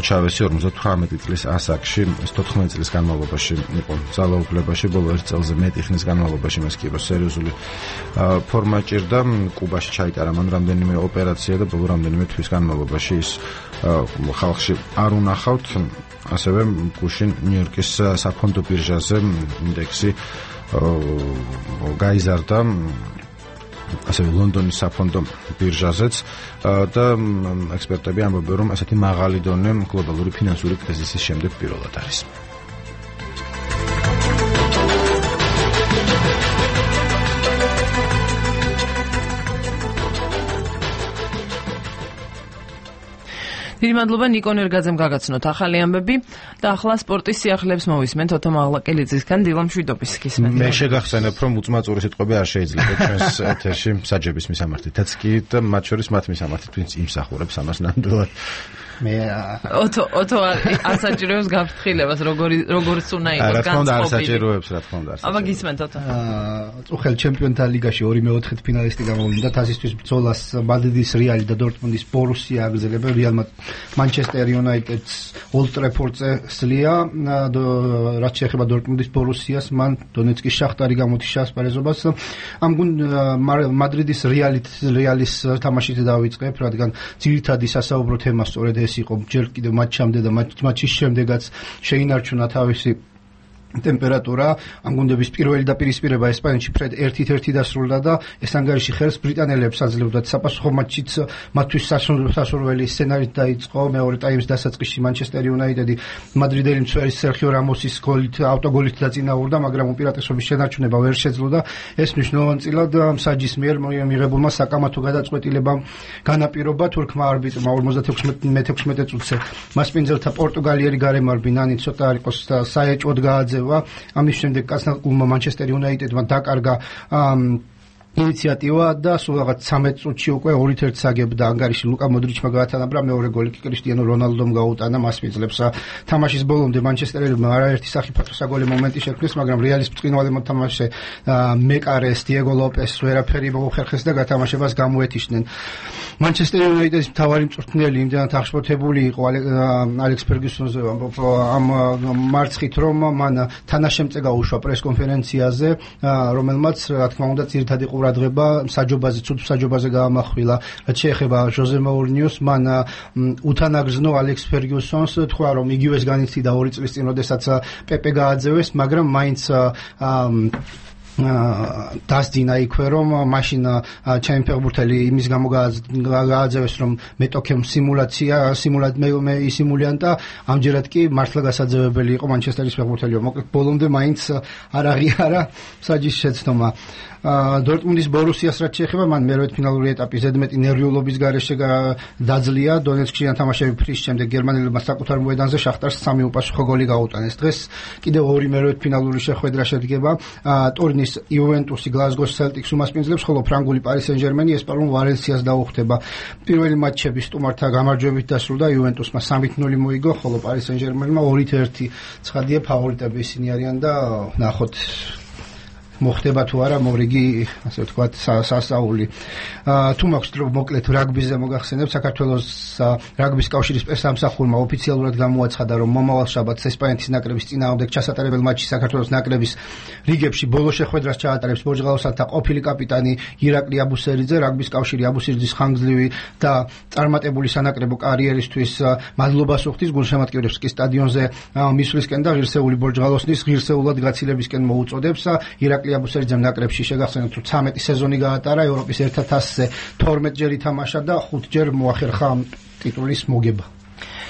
ჩავესი 58 წლის ასაკში, 14 წლის განმავლობაში იყო ძალაუფლებაში, ბოლო 1 წელზე მეტი ხნის განმავლობაში მას კი სერიოზული ფორმა ჭირდა. კუბაში ჩაიტარა მან რამდენიმე ოპერაცია და ბოლო რამდენიმე თვის განმავლობაში ის ხალხში არ უნახავთ. ასევე გუშინ ნიუ-იორკის საფონდო ბირჟაზე ინდექსი გაიზარდა, ასევე ლონდონის საფონდო ბირჟაზეც და ექსპერტები ამბობენ, რომ ასეთი მაღალი დონე გლობალური ფინანსური კრიზისის შემდეგ პირველად არის. დიდი მადლობა ნიკონ ერგაძემ გაგაცნოთ ახალი ამბები და ახლა სპორტის სიახლეებს მოვისმენთ ოტო მაღლაკელიძისგან დილა მშვიდობის გისმენთ. მე შეგახსენებ, რომ უწმაწური სიტყვები არ შეიძლება ჩვენს ეთერში საჯების მისამართითაც კი და მათ შორის მათ მისამართით, ვინც იმსახურებს ამას ნამდვილად. მე ოტო არ საჭიროებს გაფრთხილებას, როგორც უნდა იყოს განწყობილი. რა თქმა უნდა არ საჭიროებს, რა თქმა უნდა. აბა გისმენთ ოტო. წუხელ ჩემპიონთა ლიგაში 2-4 ფინალისტი გამოვიდა, თასისთვის ბრძოლას მადრიდის რეალი და დორტმუნდის ბორუსია აგრძელებენ. რეალმა Manchester United-ს Old Trafford-ზე სლია, რაც შეეხება დორტმუნდის ბორუსიას, მან დონეცკის შახტარი გამოთიშა ასპარეზობას. ამ მადრიდის რეალის თამაშით დავიწყებ, რადგან ძირითადი სასაუბრო თემა სწორედ ეს იყო ჯერ კიდევ მატჩამდე და მატჩის შემდეგაც შეინარჩუნა თავისი ტემპერატურა. ამ გუნდების პირველი დაპირისპირება ესპანეთში ფრედ 1-1 დასრულდა და ეს ანგარიში ხელს ბრიტანელებს აძლევდათ საპასუხო მატჩიც მათთვის სასურველი სცენარით დაიწყო. მეორე ტაიმის დასაწყისში Manchester United-ი მადრიდელი მცველი სერხიო რამოსის ავტოგოლით დაწინაურდა, მაგრამ უპირატესობის შენარჩუნება ვერ შეძლო და ეს მნიშვნელოვანწილად მსაჯის მიერ მიღებულმა საკამათო გადაწყვეტილებამ განაპირობა თურქმა არბიტრმა 56 წუთზე მასპინძელთა პორტუგალიერი გარემარბი ნანი ცოტა არ იყოს საეჭვოდ გააძევა. ამის შემდეგ კაცნაკულმა Manchester United-მა დაკარგა ინიციატივა და სულ რაღაც 13 წუთში უკვე 2-1 აგებდა ანგარიში ლუკა მოდრიჩმა გაათანაბრა, მეორე გოლი კი კრისტიანო რონალდომ გაუტანა მასპინძლებს. თამაშის ბოლომდე მანჩესტერელებმა არაერთი სახიფათო საგოლე მომენტი შექმნეს, მაგრამ რეალის ბრწყინვალე მოთამაშე მეკარეს, დიეგო ლოპეს ვერაფერი მოუხერხეს და გათამაშებას გამოეთიშნენ. Manchester United-ის მთავარი მწვრთნელი იმდენად აღშფოთებული იყო ალექს ფერგიუსონზე ამ მარცხით, რომ მან თანაშემწე გაუშვა პრესკონფერენციაზე, რომელმაც რა თქმა უნდა ძირითადი ყურადღება საჯობაზე, ცუდ საჯობაზე გაამახვილა. რაც შეეხება ჟოზე მოურინიოს, მან უთანაგრძნო ალექს ფერგიუსონს, თქვა რომ იგივეს განიცდიდა 2 წლის წინ, როდესაც პეპე გააძევეს, მაგრამ მაინც დასდინა იქვე, რომ მაშინ ჩემი ფეხბურთელი იმის გამო გააძევეს, რომ მეტოქემ ისიმულიანტა, ამჯერად კი მართლა გასაძევებელი იყო მანჩესტერის ფეხბურთელი. მოკლედ ბოლომდე მაინც არ აღიარა საჯის შეცდომა. დორტმუნდის ბორუსიას რაც შეეხება, მან მერვე ფინალური ეტაპი ზედმეტი ნერვიულობის გარეშე დაძლია. დონეცკში თამაშები ფრის შემდეგ გერმანელებმა საკუთარ მოედანზე შახტარს 3 უპასუხო გოლი გაუტანეს. დღეს კიდევ 2 მერვე ფინალური შეხვედრა შედგება. ტურინის იუვენტუსი გლაზგოს სელტიკს უმასპინძლებს, ხოლო ფრანგული პარი სენ-ჟერმენი ესპანურ ვალენსიას დაუხდება. პირველი მატჩები სტუმართა გამარჯვებით დასრულდა, იუვენტუსმა 3-0 მოიგო, ხოლო პარი სენ-ჟერმენმა 2-1. ცხადია ფავორიტები ისინი არიან და ნახოთ მოხდება თუ არა მორიგი, ასე ვთქვათ, სასაული. თუ მაქვს დრო მოკლედ რაგბიზე მოგახსენებ, საქართველოს რაგბის კავშირის პრესამსახურმა ოფიციალურად გამოაცხადა, რომ მომავალ შაბათს ესპანეთის ნაკრების წინააღმდეგ ჩასატარებელ მატჩში საქართველოს ნაკრების რიგებში ბოლო შეხვედრას ჩაატარებს პორტუგალიელთა ყოფილი კაპიტანი ირაკლი აბუსერიძე. რაგბის კავშირი აბუსერიძის ხანგრძლივი და წარმატებული სანაკრებო კარიერისთვის მადლობას უხდის, გულშემატკივრებს კი სტადიონზე მისვლისკენ და ღირსეული ბორჯღალოსნის ღირსეულად გაცილებისკენ მოუწოდებს. ირაკლი აბუსერიძემ ნაკრებში შეგახსენოთ, რომ 13 სეზონი გაატარა, ევროპის ერთ თასზე 12 ჯერ ითამაშა და 5 ჯერ მოახერხა ტიტულის მოგება.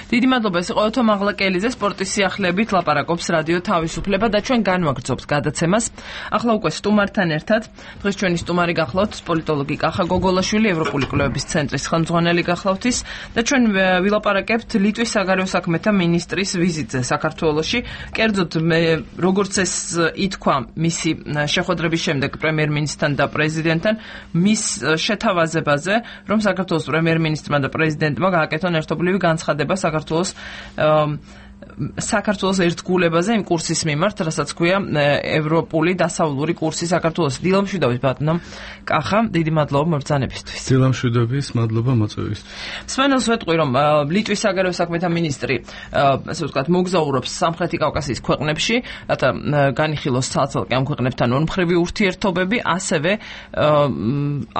დიდი მადლობა, ეს იყო ოტო მაღლაკელიძე, სპორტის სიახლეებით ლაპარაკობს რადიო თავისუფლება და ჩვენ განვაგრძობთ გადაცემას. ახლა უკვე სტუმართან ერთად, დღეს ჩვენი სტუმარი გახლავთ პოლიტოლოგი კახა გოგოლაშვილი, ევროპული კვლევების ცენტრის ხელმძღვანელი გახლავთ ის და ჩვენ ვილაპარაკებთ ლიტვის საგარეო საქმეთა მინისტრის ვიზიტზე საქართველოში. კერძოდ როგორც ეს ითქვა მისი შეხვედრების შემდეგ პრემიერ-მინისტრთან და პრეზიდენტთან, მის შეთავაზებაზე, რომ საქართველოს პრემიერ-მინისტრმა და პრეზიდენტმა გააკეთონ ერთობლივი განცხადება საქართველოს საქართველოს ერთგულებაზე იმ კურსის მიმართ, რასაც ქვია ევროპული დასავლური კურსი საქართველოს. დილამშვიდობის ბატონო კახა, დიდი მადლობა მობრძანებისთვის. დილამშვიდობის, მადლობა მოწვევისთვის. სვენელს ვეტყვი, რომ ლიტვის საგარეო საქმეთა მინისტრი, ასე ვთქვათ, მოგზაურობს სამხრეთი კავკასიის ქვეყნებში, რათა განიხილოს ცალ-ცალკე ამ ქვეყნებთან ორმხრივი ურთიერთობები, ასევე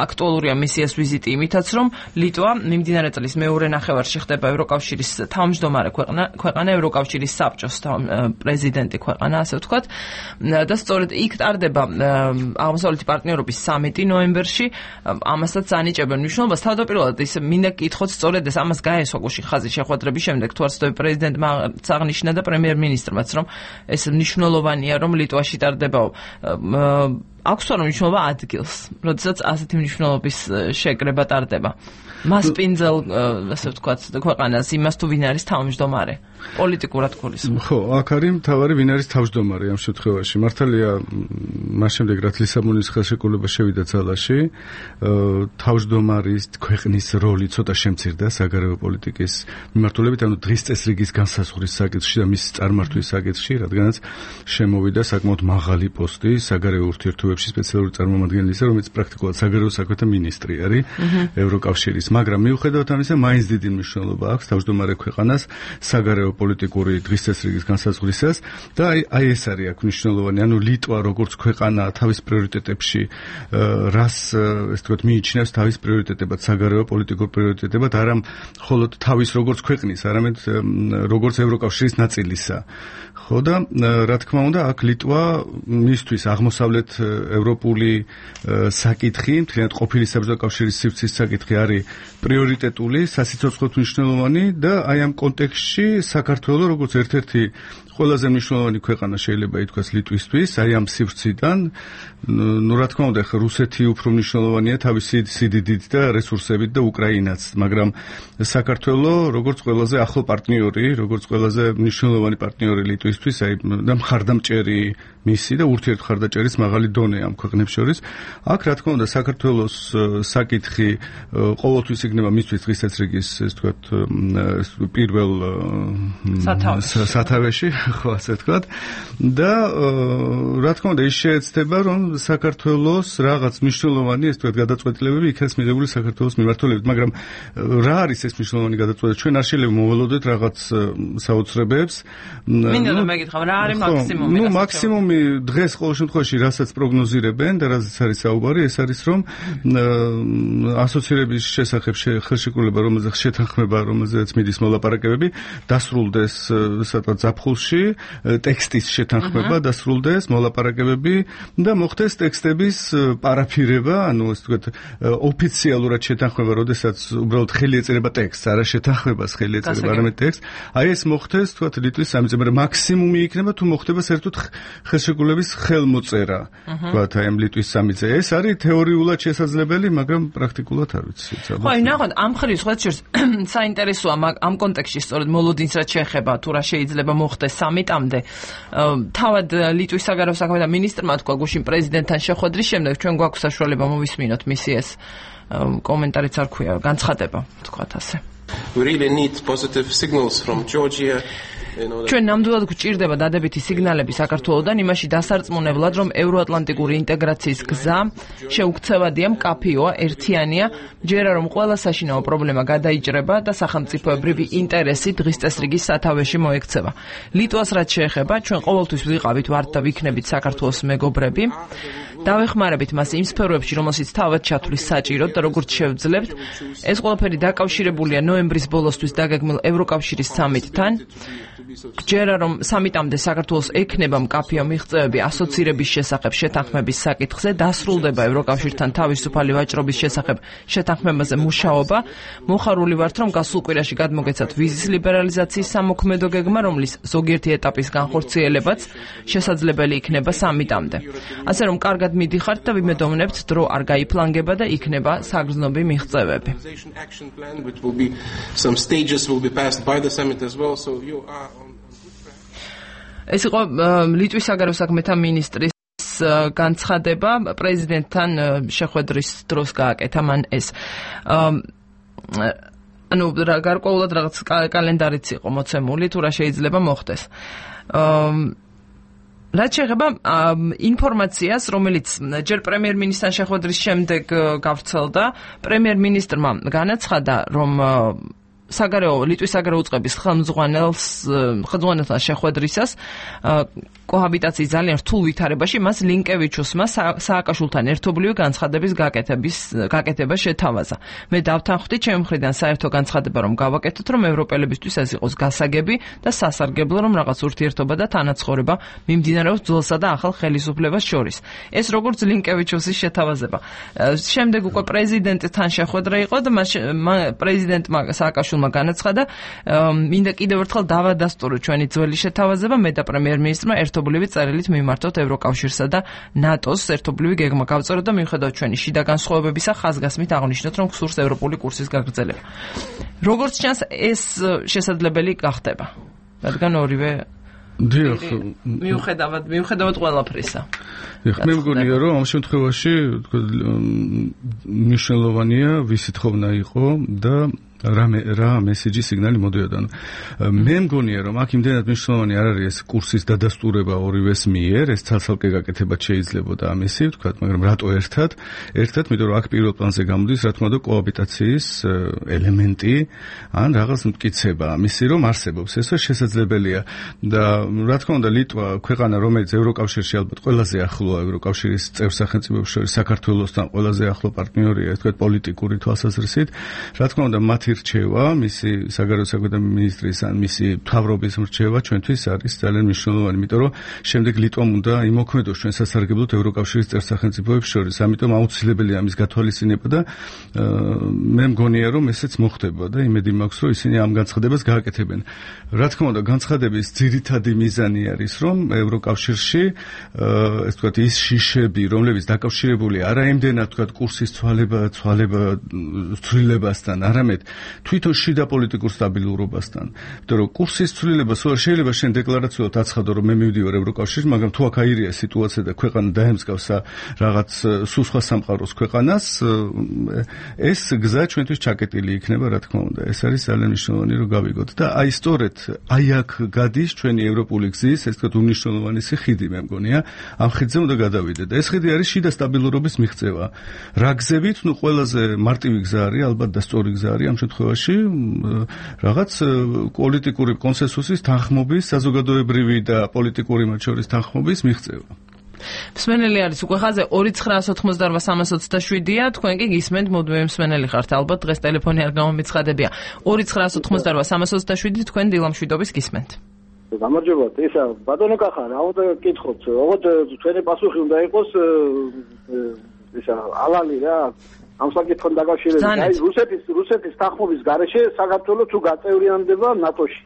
აქტუალურია მისიას ვიზიტი იმითაც, რომ ლიტვა მიმდინარე წლის მეორე ნახევარში ხდება ევროკავშირის თავმჯდომარე ქვეყანა, ევროკავშირის საბჭოს პრეზიდენტი ქვეყანა, ასე ვთქვათ, და სწორედ იქ ტარდება აღმოსავლეთი პარტნიორობის სამიტი ნოემბერში, ამასაც ანიჭებენ მნიშვნელობას. თავდაპირველად ის მინდა გკითხოთ სწორედ ეს ამას გაესვა გუშინ ხაზის შეხვედრების შემდეგ, თუ არ ვცდები, პრეზიდენტმა აღნიშნა და პრემიერ-მინისტრმაც, რომ ეს მნიშვნელოვანია, რომ ლიტვაში ტარდება აქვს რა მნიშვნელობა ადგილს, როდესაც ასეთი მნიშვნელობის შეკრება ტარდება. მას პინძელ, ასე ვთქვათ, ქვეყანას იმას თუ ვინ არის თავმჯდომარე. პოლიტიკურად გულისხმობ. ხო, აქ არის მთავარი ვინ არის თავმჯდომარე ამ შემთხვევაში. მართალია, მას შემდეგ რაც ლისაბონის ხელშეკრულება შევიდა ძალაში, თავმჯდომარის ქვეყნის როლი ცოტა შემცირდა საგარეო პოლიტიკის მიმართულებით, ანუ დღის წესრიგის განსაზღვრის საკითხში და მის წარმართვის საკითხში, რადგანაც შემოვიდა საკმაოდ მაღალი პოსტი საგარეო ურთიერთობებში სპეციალური წარმომადგენლისა, რომელიც პრაქტიკულად საგარეო საქმეთა მინისტრი არის ევროკავშირის. მაგრამ მიუხედავად ამისა, მაინც დიდი მნიშვნელობა აქვს თავმჯდომარე ქვეყანას საგარეო პოლიტიკური დღის წესრიგის განსაზღვრისას და აი ეს არის აქ მნიშვნელოვანი, ანუ ლიტვა როგორც ქვეყანა თავის პრიორიტეტებში რას ეს თქო მიიჩნევს თავის პრიორიტეტებად, საგარეო პოლიტიკურ პრიორიტეტებად, არა მხოლოდ თავის როგორც ქვეყნის, არამედ როგორც ევროკავშირის ნაწილისა. ხო და რა თქმა უნდა, აქ ლიტვა მისთვის აღმოსავლეთ ევროპული საკითხი, მთლიანად ყოფილი საბჭოთა კავშირის სივრცის საკითხი არის პრიორიტეტული, სასიცოცხლოდ მნიშვნელოვანი და აი ამ კონტექსტში საქართველო როგორც ერთ-ერთი ყველაზე მნიშვნელოვანი ქვეყანა შეიძლება ითქვას ლიტვისთვის, აი ამ სივრციდან, ну რა თქმა უნდა, ხა რუსეთი უფრო მნიშვნელოვანია თავისი სიდიდით და რესურსებით და უკრაინაც, მაგრამ საქართველო როგორც ყველაზე ახლო პარტნიორი, როგორც ყველაზე მნიშვნელოვანი პარტნიორი ლიტვისთვის, აი და მხარდამჭერი მისი და ურთიერთმხარდაჭერის მაღალი დონე ამ ქვეყნებს შორის. აქ რა თქმა უნდა, საქართველოს საკითხი ყოველთვის იქნება მისთვის დღის წესრიგის, ეს ვთქვათ, პირველ სათავეში, ხო, ასე ვთქვათ. და რა თქმა უნდა, ის შეეცდება, რომ საქართველოს რაღაც მნიშვნელოვანი, ეს ვთქვათ, გადაწყვეტილებები იქნას მიღებული საქართველოს მიმართულებით, მაგრამ რა არის ეს მნიშვნელოვანი გადაწყვეტილება? ჩვენ არ შეიძლება მოველოდოთ რაღაც საოცრებებს. მინდა რომ მეკითხავ, რა არის მაქსიმუმი? ნუ მაქსიმუმი დღეს ყოველ შემთხვევაში რასაც პროგნოზირებენ და რასაც არის საუბარი, ეს არის რომ ასოცირების შესახებ ხელშეკრულება, რომელზეც შეთანხმება, რომელზეც მიდის მოლაპარაკებები, დასრულდეს სადღაც ზაფხულში, ტექსტის შეთანხმება დასრულდეს, მოლაპარაკებები და მოხდეს ტექსტების პარაფირება, ანუ ასე ვთქვათ, ოფიციალურად შეთანხმება, როდესაც უბრალოდ ხელი ეწერება ტექსტს, არა შეთანხმებას ხელი ეწერება, არამედ ტექსტს. აი ეს მოხდეს, ვთქვათ, ლიტვის სამიტზე, მაგრამ მაქსიმუმი იქნება თუ მოხდება საერთოდ ხელშეკრულების ხელმოწერა, ვთქვათ, აი ამ ლიტვის სამიტზე. ეს არის თეორიულად შესაძლებელი, მაგრამ პრაქტიკულად არ ვიცი. ხო, ნახოთ, ამ ხრივ სხვა შორის საინტერესოა ამ კონტექსტში სწორედ მოლოდინს რაც შეეხება, თუ რა შეიძლება მოხდეს სამიტამდე. თავად ლიტვის საგარეო საქმეთა მინისტრმა თქვა გუშინ პრეზიდენტთან შეხვედრის შემდეგ, ჩვენ გვაქვს საშუალება მოვისმინოთ მისი ეს კომენტარიც არ ქვია, განცხადება, თქვათ ასე. We really need positive signals from Georgia. ჩვენ ნამდვილად გვჭირდება დადებითი სიგნალები საქართველოდან იმაში დასარწმუნებლად, რომ ევროატლანტიკური ინტეგრაციის გზა შეუქცევადია, მკაფიოა, ერთიანია, ჯერა რომ ყველა საშინაო პრობლემა გადაიჭრება და სახელმწიფოებრივი ინტერესი დღის წესრიგის სათავეში მოექცევა. ლიტვას რაც შეეხება, ჩვენ ყოველთვის ვიყავით ვართ და ვიქნებით საქართველოს მეგობრები. დავეხმარებით მას იმ სფეროებში, რომელშიც თავად ჩათვლის საჭიროდ და როგორც შევძლებთ, ეს ყველაფერი დაკავშირებულია ნოემბრის ბოლოსთვის დაგეგმილ ევროკავშირის სამიტთან. ჯერა რომ სამიტამდე საქართველოს ექნება მკაფიო მიღწევები ასოცირების შესახებ შეთანხმების საკითხზე, დასრულდება ევროკავშირთან თავისუფალი ვაჭრობის შესახებ შეთანხმებაზე მუშაობა. მოხარული ვართ, რომ გასულ კვირაში გადმოგეცათ ვიზის ლიბერალიზაციის სამოქმედო გეგმა, რომლის ზოგიერთი ეტაპის განხორციელებაც შესაძლებელი იქნება სამიტამდე. ასე რომ კარგად მიდიხართ და ვიმედოვნებთ, დრო არ გაიფლანგება და იქნება საგრძნობი მიღწევები. ეს იყო ლიტვის საგარეო საქმეთა მინისტრის განცხადება, პრეზიდენტთან შეხვედრის დროს გააკეთა მან ეს. ანუ გარკვეულად რაღაც კალენდარიც იყო მოცემული, თუ რა შეიძლება მოხდეს. რაც შეეხება ინფორმაციას, რომელიც ჯერ პრემიერ-მინისტრთან შეხვედრის შემდეგ გავრცელდა, პრემიერ-მინისტრმა განაცხადა, რომ ლიტვის საგარეო უწყების ხელმძღვანელთან შეხვედრისას კოჰაბიტაციის ძალიან რთულ ვითარებაში მას ლინკევიჩუსმა სააკაშვილთან ერთობლივი განცხადების გაკეთება შეთავაზა. მე დავთანხმდი ჩემი მხრიდან საერთო განცხადება რომ გავაკეთოთ, რომ ევროპელებისთვის ეს იყოს გასაგები და სასარგებლო, რომ რაღაც ურთიერთობა და თანაცხოვრება მიმდინარეობს ძველსა და ახალ ხელისუფლებას შორის. ეს როგორც ლინკევიჩუსის შეთავაზება. შემდეგ უკვე პრეზიდენტთან შეხვედრა იყო და პრეზიდენტმა სააკაშვილმა განაცხადა, მინდა კიდევ ერთხელ დავადასტურო ჩვენი ძველი შეთავაზება, მე და პრემიერ-მინისტრმა ერთობლივი წერილით მიმართოთ ევროკავშირსა და ნატოს ერთობლივი გეგმა გავწეროთ და მიუხედავად ჩვენი შიდა განსხვავებებისა ხაზგასმით აღნიშნოთ, რომ გსურს ევროპული კურსის გაგრძელება. როგორც ჩანს, ეს შესაძლებელი გახდება, რადგან ორივე მიუხედავად ყველაფრისა. მე მგონია, რომ ამ შემთხვევაში მნიშვნელოვანია ვისი თხოვნა იყო და რა მესეჯი სიგნალი მოდიოდა. მე მგონია, რომ აქ იმდენად მნიშვნელოვანი არ არის ეს კურსის დადასტურება ორივეს მიერ, ეს ცალ-ცალკე გაკეთებაც შეიძლებოდა ამისი, ვთქვათ, მაგრამ რატო ერთად, იმიტომ რომ აქ პირველ პლანზე გამოდის, რა თქმა უნდა, კოაბიტაციის ელემენტი, ან რაღაც მტკიცება ამისი, რომ არსებობს. ეს შესაძლებელია და რა თქმა უნდა, ლიტვა ქვეყანა, რომელიც ევროკავშირში ალბათ ყველაზე ახლოა ევროკავშირის წევრ სახელმწიფოებს შორის საქართველოსთან ყველაზე ახლო პარტნიორია, ვთქვათ, პოლიტიკური თვალსაზრისით, რა თქმა უნდა, მათ რჩევა, მისი საგარეო საქმეთა მინისტრის ან მისი მთავრობის რჩევა ჩვენთვის არის ძალიან მნიშვნელოვანი, იმიტომ რომ შემდეგ ლიტვამ უნდა იმოქმედოს ჩვენ სასარგებლოდ ევროკავშირის წევრ სახელმწიფოებს შორის. ამიტომ აუცილებელია ამის გათვალისწინება და მე მგონია, რომ ესეც მოხდება და იმედი მაქვს, რომ ისინი ამ განცხადებას გააკეთებენ. რა თქმა უნდა, განცხადების ძირითადი მიზანი არის, რომ ევროკავშირში ეს ვთქვათ ის შიშები, რომლებიც დაკავშირებულია არა იმდენად ვთქვათ კურსის ცვლილებასთან, არამედ თვითონ შიდა პოლიტიკურ სტაბილურობასთან. იმიტომ რომ კურსის ცვლილება შეიძლება შენ დეკლარაციულად აცხადო, რომ მე მივდივარ ევროკავშირში, მაგრამ თუ აქ აირია სიტუაცია და ქვეყანა დაემსგავსა რაღაც სულ სხვა სამყაროს ქვეყანას, ეს გზა ჩვენთვის ჩაკეტილი იქნება, რა თქმა უნდა. ეს არის ძალიან მნიშვნელოვანი, რომ გავიგოთ და აი სწორედ აქ გადის ჩვენი ევროპული გზის, ეს თქვა უნიშნულოვანესი ხიდი, მე მგონია, ამ ხიდზე უნდა გადავიდეთ. ეს ხიდი არის შიდა სტაბილურობის მიღწევა. რა გზებით? ნუ ყველაზე მარტივი გზა არის, ალბათ და სწორი გზა არის ამ შემთხვევაში რაღაც პოლიტიკური კონსენსუსის თანხმობის, საზოგადოებრივი და პოლიტიკური მათ შორის თანხმობის მიღწევა. მსმენელი არის უკვე ხაზე 2988327-ია, თქვენ კი გისმენთ მოდმე მსმენელი ხართ, ალბათ დღეს ტელეფონი არ გამომიცხადებია. 2988327 თქვენ დილამშვიდობის გისმენთ. გამარჯობათ, ისა ბატონო კახა, რა უნდა გკითხოთ, ოღონდ თქვენი პასუხი უნდა იყოს ისა ალალი რა ამ საკითხთან დაკავშირებით. აი რუსეთის თანხმობის გარეშე საქართველოს თუ გაწევრიანდება ნატოში.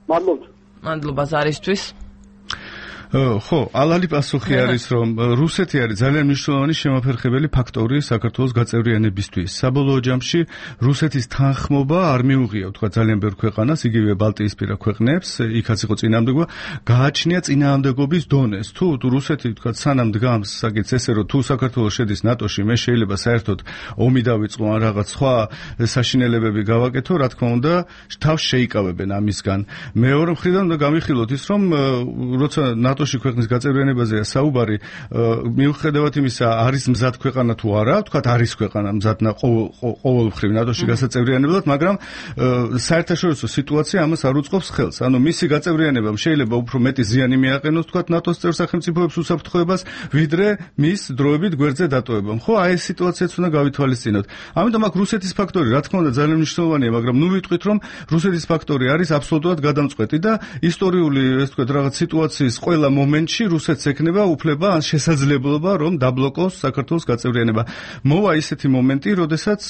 მადლობა ზარისთვის. ხო, ალალი პასუხი არის, რომ რუსეთი არის ძალიან მნიშვნელოვანი შემაფერხებელი ფაქტორი საქართველოს გაწევრიანებისთვის. საბოლოო ჯამში რუსეთის თანხმობა არ მიუღია, თქვა ძალიან ბევრ ქვეყანას, იგივე ბალტიისპირა ქვეყნებს, იქაც იყო წინააღმდეგობა, გააჩნია წინააღმდეგობის დონეს. თუ რუსეთი, თქვა, სანამ დგამს საკითხს ესე, რომ თუ საქართველოს შედის ნატოში, მე შეიძლება საერთოდ ომი დავიწყო ან რაღაც სხვა საშინელებები გავაკეთო, რა თქმა უნდა, თავს შეიკავებენ ამისგან. მეორე მხრიდან უნდა გამიხილოთ ის, რომ როცა ნატოში ქვეყნის გაწევრიანებაზეა საუბარი, მიუხედავად იმისა, არის მზად ქვეყანა თუ არა, თქვათ არის ქვეყანა მზად ყოველმხრივ ნატოში გასაწევრიანებლად, მაგრამ საერთაშორისო სიტუაცია ამას არ უწყობს ხელს. ანუ მისი გაწევრიანებამ შეიძლება უფრო მეტი ზიანი მიაყენოს, თქვათ ნატოს წევრ სახელმწიფოებს უსაფრთხოებას, ვიდრე მის დროებით გვერდზე დატოვებამ. ხო, აი ეს სიტუაციაც უნდა გავითვალისწინოთ. ამიტომ აქ რუსეთის ფაქტორი, რა თქმა უნდა, ძალიან მნიშვნელოვანია, მაგრამ ნუ ვიტყვით, რომ რუსეთის ფაქტორი არის აბსოლუტურად გადამწყვეტი და ისტორიული, ეს თქვათ, რაღაც სიტუაციის ყველა მომენტში რუსეთს ექნება უფლება ან შესაძლებლობა, რომ დაბლოკოს საქართველოს გაწევრიანება. მოვა ისეთი მომენტი, როდესაც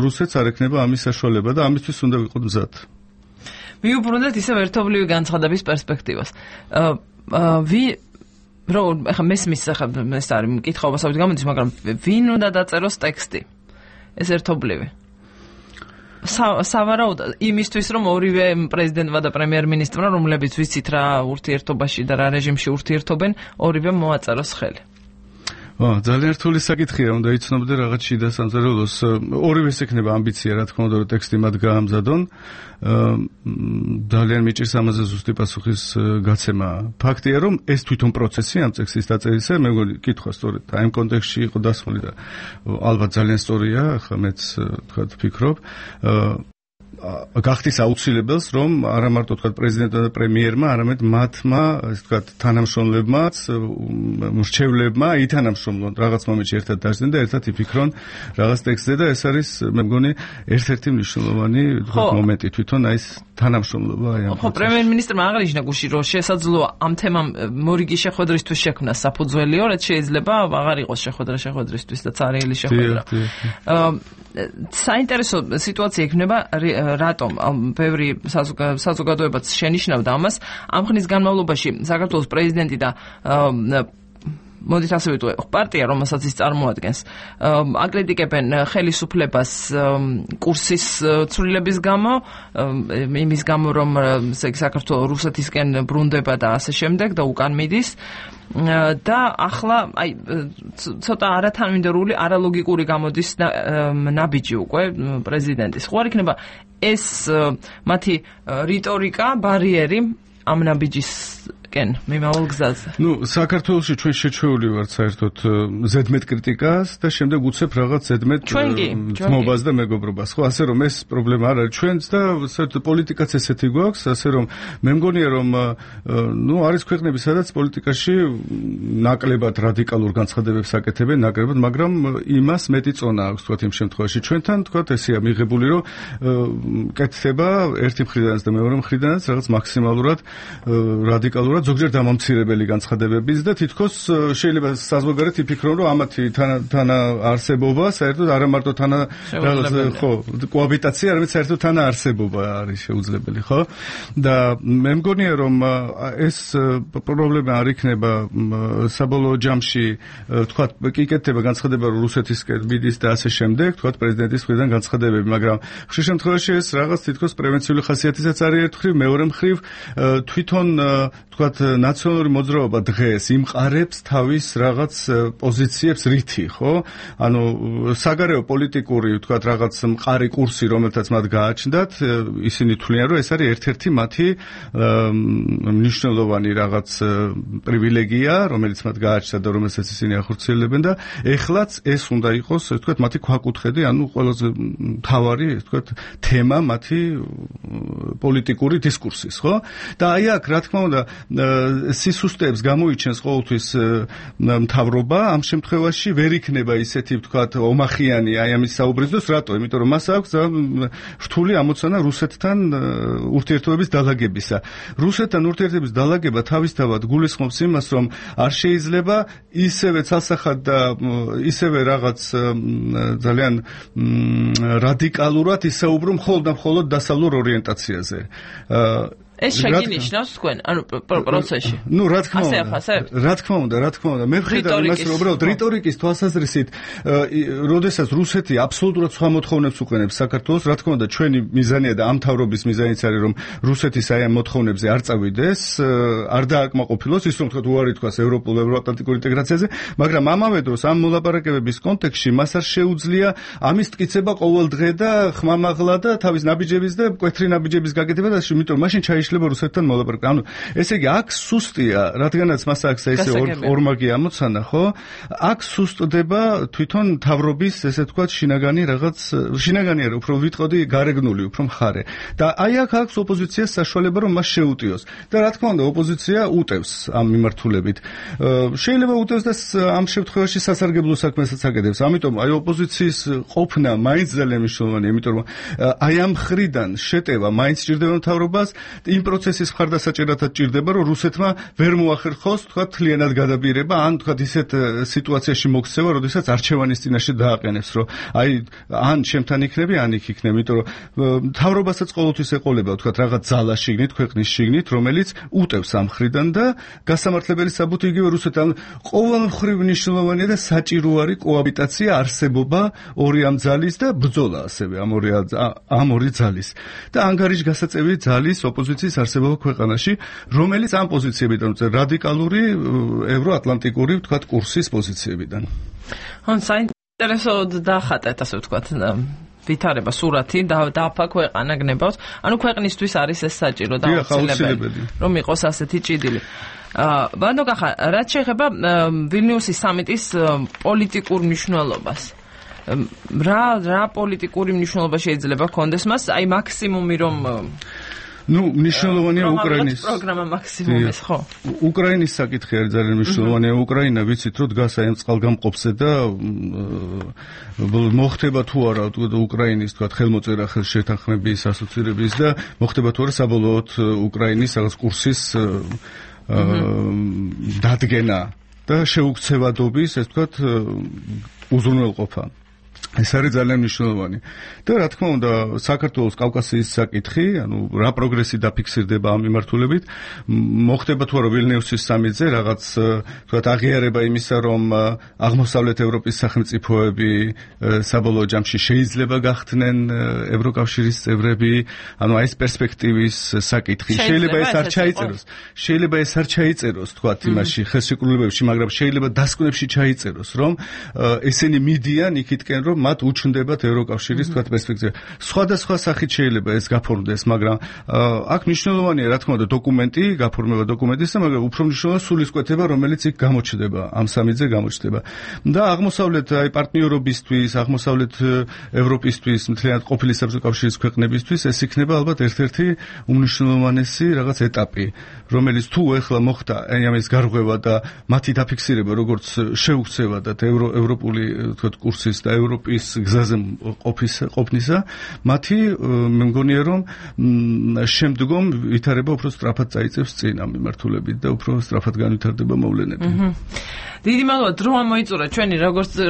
რუსეთს არ ექნება ამის საშუალება და ამისთვის უნდა ვიყოთ მზად. მიუბრუნდეთ ისევ ერთობლივი განცხადების პერსპექტივას. ახლა მესმის ეს არის მკითხაობასავით გამოდის, მაგრამ ვინ უნდა დაწეროს ტექსტი? ეს ერთობლივი. სავარაუდოდ იმისთვის, რომ ორივე პრეზიდენტმა და პრემიერ-მინისტრმა, რომლებიც ვიცით რა ურთიერთობაში და რა რეჟიმში ურთიერთობენ, ორივე მოაწეროს ხელი. ძალიან რთული საკითხია, უნდა იცნობდე რაღაც შიდა სამზარეულოს. ორივეს ექნება ამბიცია, რა თქმა უნდა, რომ ტექსტი მათ გაამზადონ. ძალიან მიჭირს ამაზე ზუსტი პასუხის გაცემა. ფაქტია, რომ ეს თვითონ პროცესი ამ ტექსტის დაწერისა, მე მგონი, კითხვა სწორედ აი ამ კონტექსტში იყო დასმული და ალბათ ძალიან სწორია, ახლა მეც თქვა ვფიქრობ. გახდის აუცილებელს, რომ არა მარტო თქვა პრეზიდენტმა და პრემიერმა, არამედ მათმა, ასე თქვა, თანამშრომლებმაც, მრჩევლებმა ითანამშრომლონ რაღაც მომენტში ერთად დაждდნენ და ერთად იფიქრონ რაღაც ტექსტზე და ეს არის, მე მგონი, ერთ-ერთი მნიშვნელოვანი მომენტი თვითონ აი ეს თანამშრომლობა აი ამ. ხო, პრემიერ-მინისტრმა აღნიშნა გუშინ, რომ შესაძლოა ამ თემამ მორიგი შეხვედრისთვის შექმნა საფუძველიო, რაც შეიძლება აღარ იყოს შეხვედრისთვის და ცარიელი შეხვედრა. საინტერესო სიტუაცია იქნება რატომ ბევრი საზოგადოებაც შენიშნავდა ამას ამ ხნის განმავლობაში საქართველოს პრეზიდენტი და მოდით ასე ვიტყვე პარტია რომელსაც ის წარმოადგენს აკრიტიკებენ ხელისუფლებას კურსის ცვლილების გამო იმის გამო რომ საქართველოს რუსეთისკენ ბრუნდება და ასე შემდეგ და უკან მიდის და ახლა აი ცოტა არათანმიმდევრული არალოგიკური გამოდის ნაბიჯი უკვე პრეზიდენტის. ხო არ იქნება ეს მათი რიტორიკა ბარიერი ამ ნაბიჯისკენ მიმავალ გზაზე. ნუ საქართველოში ჩვენ შეჩვეული ვართ საერთოდ ზედმეტ კრიტიკას და შემდეგ უცებ რაღაც ზედმეტ ძმობას და მეგობრობას. ხო, ასე რომ ეს პრობლემა არ არის ჩვენც და საერთოდ პოლიტიკაც ესეთი გვაქვს, ასე რომ მე მგონია რომ ნუ არის ქვეყნები, სადაც პოლიტიკაში ნაკლებად რადიკალურ განცხადებებს აკეთებენ, ნაკლებად, მაგრამ იმას მეტი წონა აქვს, თქვათ იმ შემთხვევაში. ჩვენთან, თქვათ, ესეა მიღებული, რომ კეთდება ერთი მხრიდანაც და მეორე მხრიდანაც რაღაც მაქსიმალურად რადიკალურად ზოგჯერ დამამცირებელი განცხადებების და თითქოს შეიძლება საზღვარგარეთ იფიქრონ, რომ ამათი თანაარსებობა საერთოდ არა მარტო ხო, კოაბიტაცია, არამედ საერთოდ თანაარსებობა არის შეუძლებელი, ხო? და მე მგონია, რომ ეს პრობლემა არ იქნება საბოლოო ჯამში, თქვათ, კი კეთდება განცხადება, რომ რუსეთისკენ მიდის და ასე შემდეგ, თქვათ, პრეზიდენტის მხრიდან განცხადებები, მაგრამ ხშირ შემთხვევაში ეს რაღაც თითქოს პრევენციული ხასიათისაც არის ერთ მხრივ, მეორე მხრივ თვითონ თქვათ ნაციონალური მოძრაობა დღეს იმყარებს თავის რაღაც პოზიციებს რითი, ხო? ანუ საგარეო პოლიტიკური თქვათ რაღაც მყარი კურსი, რომელთაც მათ გააჩნდათ, ისინი თვლიან, რომ ეს არის ერთ-ერთი მათი მნიშვნელოვანი რაღაც პრივილეგია, რომელიც მათ გააჩნდათ და რომელსაც ისინი ახორციელებენ და ეხლაც ეს უნდა იყოს, თქვათ, მათი ქვაკუთხედი, ანუ ყველაზე მთავარი, თქვათ, თემა მათი პოლიტიკური დისკურსის, ხო? და აი აქ, რა თქმა უნდა, სისუსტეებს გამოიჩენს ყოველთვის მთავრობა, ამ შემთხვევაში ვერ იქნება ისეთი, ვთქვათ, ომახიანი აი ამის საუბრისთვის, რატო? იმიტომ რომ მას აქვს რთული ამოცანა რუსეთთან ურთიერთობების დალაგებისა. რუსეთთან ურთიერთობის დალაგება თავისთავად გულისხმობს იმას, რომ არ შეიძლება ისევე ცალსახად და ისევე რაღაც ძალიან რადიკალურად ისაუბრო მხოლოდ დასავლურ ორიენტაციაზე. ეს შეგინიშნავს თქვენ, ანუ პროცესში. ნუ რა თქმა უნდა, მე ვხედავ იმას, რომ უბრალოდ რიტორიკის თვალსაზრისით, როდესაც რუსეთი აბსოლუტურად სხვა მოთხოვნებს უყენებს საქართველოს, რა თქმა უნდა, ჩვენი მიზანია და ამ თავრობის მიზანიც არის, რომ რუსეთის აი ამ მოთხოვნებზე არ წავიდეს, არ დააკმაყოფილოს ის, რომ თქვა უარი თქვას ევროპულ-ევროატლანტიკურ ინტეგრაციაზე, მაგრამ ამავე დროს ამ მოლაპარაკებების კონტექსტში მას არ შეუძლია ამის მტკიცება ყოველ დღე და ხმამაღლა და თავის ნაბიჯების და მკვეთრი ნაბიჯების გაკეთება და იმიტომ მაშინ შეიძლება რუსეთთან მოლაპარაკება. ანუ ესე იგი აქ სუსტია, რადგანაც მას აქვს ესე ორმაგი ამოცანა, ხო? აქ სუსტდება თვითონ თავრობის, ესე ვთქვათ, შინაგანი არა, უფრო ვიტყოდი გარეგნული, უფრო მხარე. და აი აქ აქვს ოპოზიციას საშუალება, რომ მას შეუტიოს. და რა თქმა უნდა, ოპოზიცია უტევს ამ მიმართულებით. შეიძლება უტევს და ამ შემთხვევაში სასარგებლო საქმესაც აკეთებს. ამიტომ აი ოპოზიციის ყოფნა მაინც ძალიან მნიშვნელოვანია, იმიტომ რომ აი ამ ხრიდან შეტევა მაინც სჭირდება მთავრობას იმ პროცესის მხარდასაჭერათაც ჭირდება, რომ რუსეთმა ვერ მოახერხოს, თქვა, თლიანად გადაბირება, ან თქვა ისეთ სიტუაციაში მოქცევა, როდესაც არჩევანის წინაშე დააყენებს, რომ აი ან ჩემთან იქნები, ან იქ იქნები, იმიტომ რომ მთავრობასაც ყოველთვის ეყოლება, თქვა, რაღაც ძალა შიგნით, ქვეყნის შიგნით, რომელიც უტევს ამ მხრიდან და გასამართლებელი საბუთი იგივე რუსეთთან ყოველმხრივ მნიშვნელოვანია და საჭირო არის კოაბიტაცია, არსებობა ორი ამ ძალის და ბრძოლა ასევე ამ ორი ძალის. და ანგარიშგასაწევი ძალის ოპოზიციის პოზიციის არსებობა ქვეყანაში, რომელიც ამ პოზიციებიდან რადიკალური ევროატლანტიკური, ვთქვათ, კურსის პოზიციებიდან. საინტერესო დახატეთ, ასე ვთქვათ, ვითარება სურათი დაფა ქვეყანა გნებავს. ანუ ქვეყნისთვის არის ეს საჭირო და აუცილებელი, რომ იყოს ასეთი ჭიდილი. ბანდო კახა, რაც შეეხება ვილნიუსის სამიტის პოლიტიკურ მნიშვნელობას. რა პოლიტიკური მნიშვნელობა შეიძლება ჰქონდეს მას? აი მაქსიმუმი რომ მნიშვნელოვანია უკრაინის პროგრამა მაქსიმუმის, ხო? უკრაინის საკითხი არის ძალიან მნიშვნელოვანია. უკრაინა ვიცით, რომ დგას აი ამ წყალგამყოფზე და მოხდება თუ არა უკრაინის, თქვათ, ხელმოწერა ხელშეთანხმების ასოცირების და მოხდება თუ არა საბოლოოდ უკრაინის რაღაც კურსის დადგენა და შეუქცევადობის, ეს ვთქვათ, უზრუნველყოფა. ეს არის ძალიან მნიშვნელოვანი. და რა თქმა უნდა, საქართველოს კავკასიის საკითხი, ანუ რა პროგრესი დაფიქსირდება ამ მიმართულებით, მოხდება თუ არა ვილნიუსის სამიტზე რაღაც, თქვათ, აღიარება იმისა, რომ აღმოსავლეთ ევროპის სახელმწიფოები საბოლოო ჯამში შეიძლება გახდნენ ევროკავშირის წევრები, ანუ აი ეს პერსპექტივის საკითხი. შეიძლება ეს არ ჩაიწეროს, თქვათ, იმაში ხელშეკრულებებში, მაგრამ შეიძლება დასკვნებში ჩაიწეროს, რომ ესენი მიდიან იქითკენ, რომ მათ უჩნდებათ ევროკავშირის, თქვათ, პერსპექტივა. სხვადასხვა სახით შეიძლება ეს გაფორმდეს, მაგრამ აქ მნიშვნელოვანია, რა თქმა უნდა, დოკუმენტი, გაფორმება დოკუმენტისა, მაგრამ უფრო მნიშვნელოვანია სულისკვეთება, რომელიც იქ გამოჩნდება, ამ სამიტზე გამოჩნდება. და აღმოსავლეთ აი პარტნიორობისთვის, აღმოსავლეთ ევროპისთვის, მთლიანად ყოფილი საბჭოთა კავშირის ქვეყნებისთვის ეს იქნება ალბათ ერთ-ერთი უმნიშვნელოვანესი რაღაც ეტაპი, რომელიც თუ ეხლა მოხდა აი ამის გარღვევა და მათი დაფიქსირება, როგორც შეუქცევადად ევროპული, თქვათ, კურსის და ევროპის გზაზე ყოფნისა, მათი მე მგონია, რომ შემდგომ ვითარება უფრო სწრაფად წაიწევს წინ ამ მიმართულებით და უფრო სწრაფად განვითარდება მოვლენები. დიდი მადლობა, დრო ამოიწურა ჩვენი,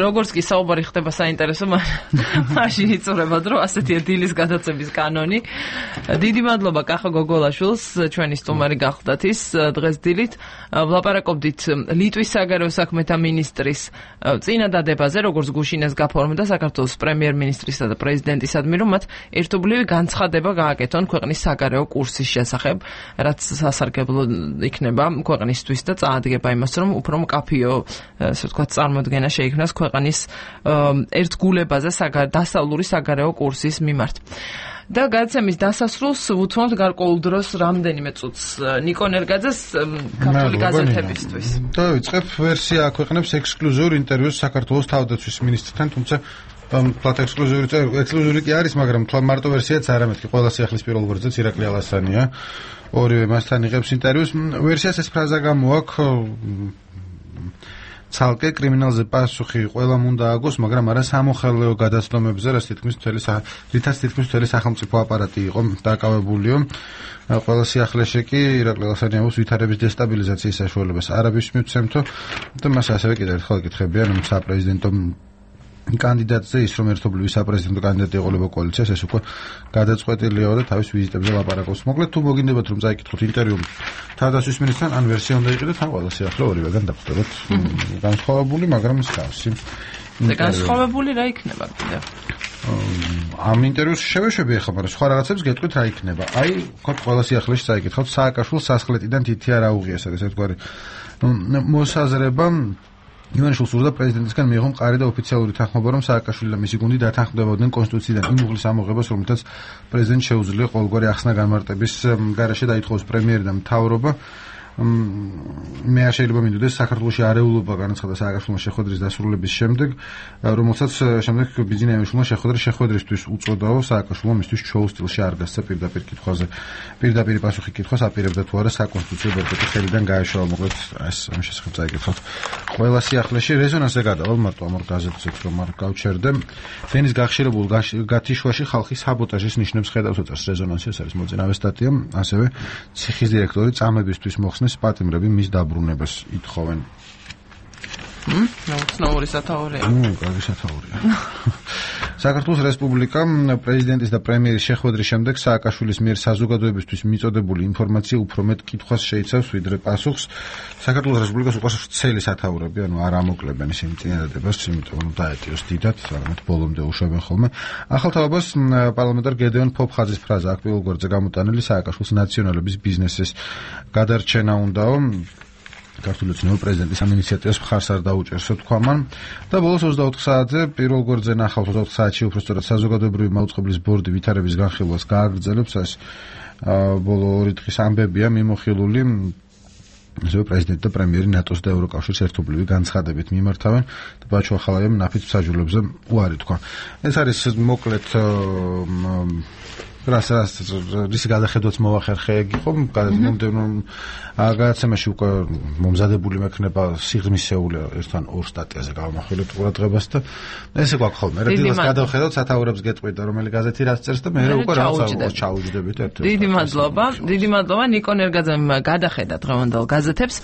როგორც კი საუბარი ხდება საინტერესო, მაშინ იწურება დრო, ასეთია დილის გადაცემის კანონი. დიდი მადლობა კახა გოგოლაშვილს, ჩვენი სტუმარი გახლდათ ის დღეს დილით. ვლაპარაკობდით ლიტვის საგარეო საქმეთა მინისტრის წინადადებაზე, როგორც გუშინეს გაფორმდა საქართველოს პრემიერ-მინისტრისა და პრეზიდენტისადმი, რომ მათ ერთობლივი განცხადება გააკეთონ ქვეყნის საგარეო კურსის შესახებ, რაც სასარგებლო იქნება ქვეყნისთვის და წაადგება იმას, რომ უფრო მკაფიო, ასე ვთქვათ, წარმოდგენა შეიქმნას ქვეყნის ერთგულებაზე დასავლური საგარეო კურსის მიმართ. და გადაცემის დასასრულს უთმობთ გარკვეულ დროს რამდენიმე წუთს ნიკო ნერგაძეს ქართული გაზეთებისთვის. და ვიწყებ ვერსია აქვეყნებს ექსკლუზიურ ინტერვიუს საქართველოს თავდაცვის მინისტრთან, თუმცა ფლატ ექსკლუზიური კი არის, მაგრამ მარტო ვერსიაც არა, მეთქი ყველა სიახლის პირველ გვერდზეც ირაკლი ალასანია. ორივე მასთან იღებს ინტერვიუს. ვერსიას ეს ფრაზა გამოაქვს ცალკე კრიმინალზე პასუხი ყველამ უნდა აგოს, მაგრამ არა სამოხელეო გადაცდომებზე, რითაც თითქმის მთელი სახელმწიფო აპარატი იყო დაკავებულიო. ყველა სიახლეში კი ირაკლი ალასანიაოს ვითარების დესტაბილიზაციის საშუალებას არაბის მიცემთო და მას ასევე კიდევ ერთხელ ეკითხებიან საპრეზიდენტო კანდიდატზე, ის რომ ერთობლივი საპრეზიდენტო კანდიდატი ეყოლება კოალიციას, ეს უკვე გადაწყვეტილია და თავის ვიზიტებზე ლაპარაკობს. მოკლედ, თუ მოგინდებათ რომ წაიკითხოთ ინტერვიუ თავდაცვის მინისტრთან, ან ვერსია უნდა იყიდოთ, ან ყველა სიახლე ორივეგან დაგვხვდებათ განსხვავებული, მაგრამ მსგავსი. და განსხვავებული რა იქნება კიდევ? ამ ინტერვიუს შევეშვები ახლა, მაგრამ სხვა რაღაცებს გეტყვით რა იქნება. აი, ვთქვათ, ყველა სიახლეში წაიკითხოთ, სააკაშვილს სასახლეთიდან თითი არ აუღიეს, ეს ერთგვარი მოსაზრება ივანიშვილს სურდა პრეზიდენტისგან მიიღო მყარი და ოფიციალური თანხმობა, რომ სააკაშვილი და მისი გუნდი დათანხმდებოდნენ კონსტიტუციიდან იმ უღლის ამოღებას, რომელთაც პრეზიდენტს შეუძლია ყოველგვარი ახსნა განმარტების გარეშე დაითხოვოს პრემიერი და მთავრობა. მე არ შეიძლება მინდოდეს საქართველოში არეულობა განაცხადა სააკაშვილმა შეხვედრის დასრულების შემდეგ, რომელსაც შემდეგ ბიძინა ივანიშვილმა შეხვედრისთვის უწოდაო, სააკაშვილმა მისთვის შოუ სტილში არ გასცა პირდაპირ კითხვაზე. პირდაპირ პასუხი კითხვას აპირებდა თუ არა საკონსტიტუციო ბერკეტი ხელიდან გაეშალა, მოკლედ ეს ამ შესახებ წაიკითხოთ. ყველა სიახლეში რეზონანსზე გადავალ მარტო ამ ორ გაზეთზე, რომ არ გავჩერდე. ფენის გახშირებულ გათიშვაში ხალხი საბოტაჟის ნიშნებს ხედავს, უწევს რეზონანსი, ეს არის მოწინავე სტატია, ასევე ციხის დირექტორი წამებისთვის მოხსნეს პატიმრები მის დაბრუნებას ითხოვენ. ნაუცნაური სათაურია. კარგი სათაურია. საქართველოს რესპუბლიკამ პრეზიდენტის და პრემიერის შეხვედრის შემდეგ სააკაშვილის მიერ საზოგადოებისთვის მიწოდებული ინფორმაცია უფრო მეტ კითხვას შეიცავს ვიდრე პასუხს. საქართველოს რესპუბლიკას უკვე ცელი სათაურები, ანუ არ ამოკლებენ ისინი წინადადებას, იმიტომ რომ დაეტიოს დიდად, არამედ ბოლომდე უშვებენ ხოლმე. ახალ თავებას პარლამენტარ გედეონ ფოფხაძის ფრაზა აქ პირველ გვერდზე გამოტანილი სააკაშვილის ნაციონალების ბიზნესის გადარჩენა უნდაო. ქართული ოცნება პრეზიდენტის ამ ინიციატივას მხარს არ დაუჭერსო თქვა მან და ბოლოს 24 საათზე პირველ გვერდზე ნახავთ 24 საათში უბრალოდ საზოგადოებრივი მაუწყებლის ბორდი ვითარების განხილვას გააგრძელებს ეს ბოლო 2 დღის ამბებია მიმოხილული ისე პრეზიდენტი და პრემიერი ნატოს და ევროკავშირის ერთობლივი განცხადებით მიმართავენ და ბაჩო ახალაიამ ნაფიც მსაჯულებზე უარი თქვა ეს არის მოკლედ რის გადახედვაც მოახერხე იგი ხომ მომდევნო გადაცემაში უკვე მომზადებული მექნება სიღრმისეული ერთთან ორ სტატიაზე გავამახვილებთ ყურადღებას და ესე გვაქვს ხოლმე რეგულარულად გადავხედავთ სათაურებს გეტყვით და რომელი გაზეთი რაც წერს და მე უკვე რაღაც ჩაუჯდებით ერთ-ერთ დიდი მადლობა ნიკო ნერგაძემ გადახედა დღევანდელ გაზეთებს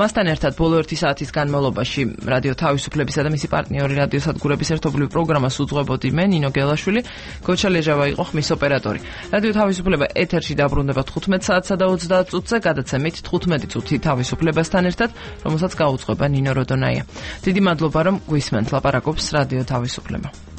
მასთან ერთად ბოლო 1 საათის განმავლობაში რადიო თავისუფლებისა და მისი პარტნიორი რადიო სადგურების ერთობლივი პროგრამას უძღვებოდი მე ნინო გელაშვილი გოჩა ლეჟავა იყო ხმის ოპერატორი რადიო თავისუფლება ეთერში დაბრუნდება 15 საათსა და 30 წუთზე გადაცემით 15 წუთი თავისუფლებასთან ერთად რომელსაც გაუძღვება ნინო როდონაია დიდი მადლობა რომ გვისმენთ ლაპარაკობს რადიო თავისუფლება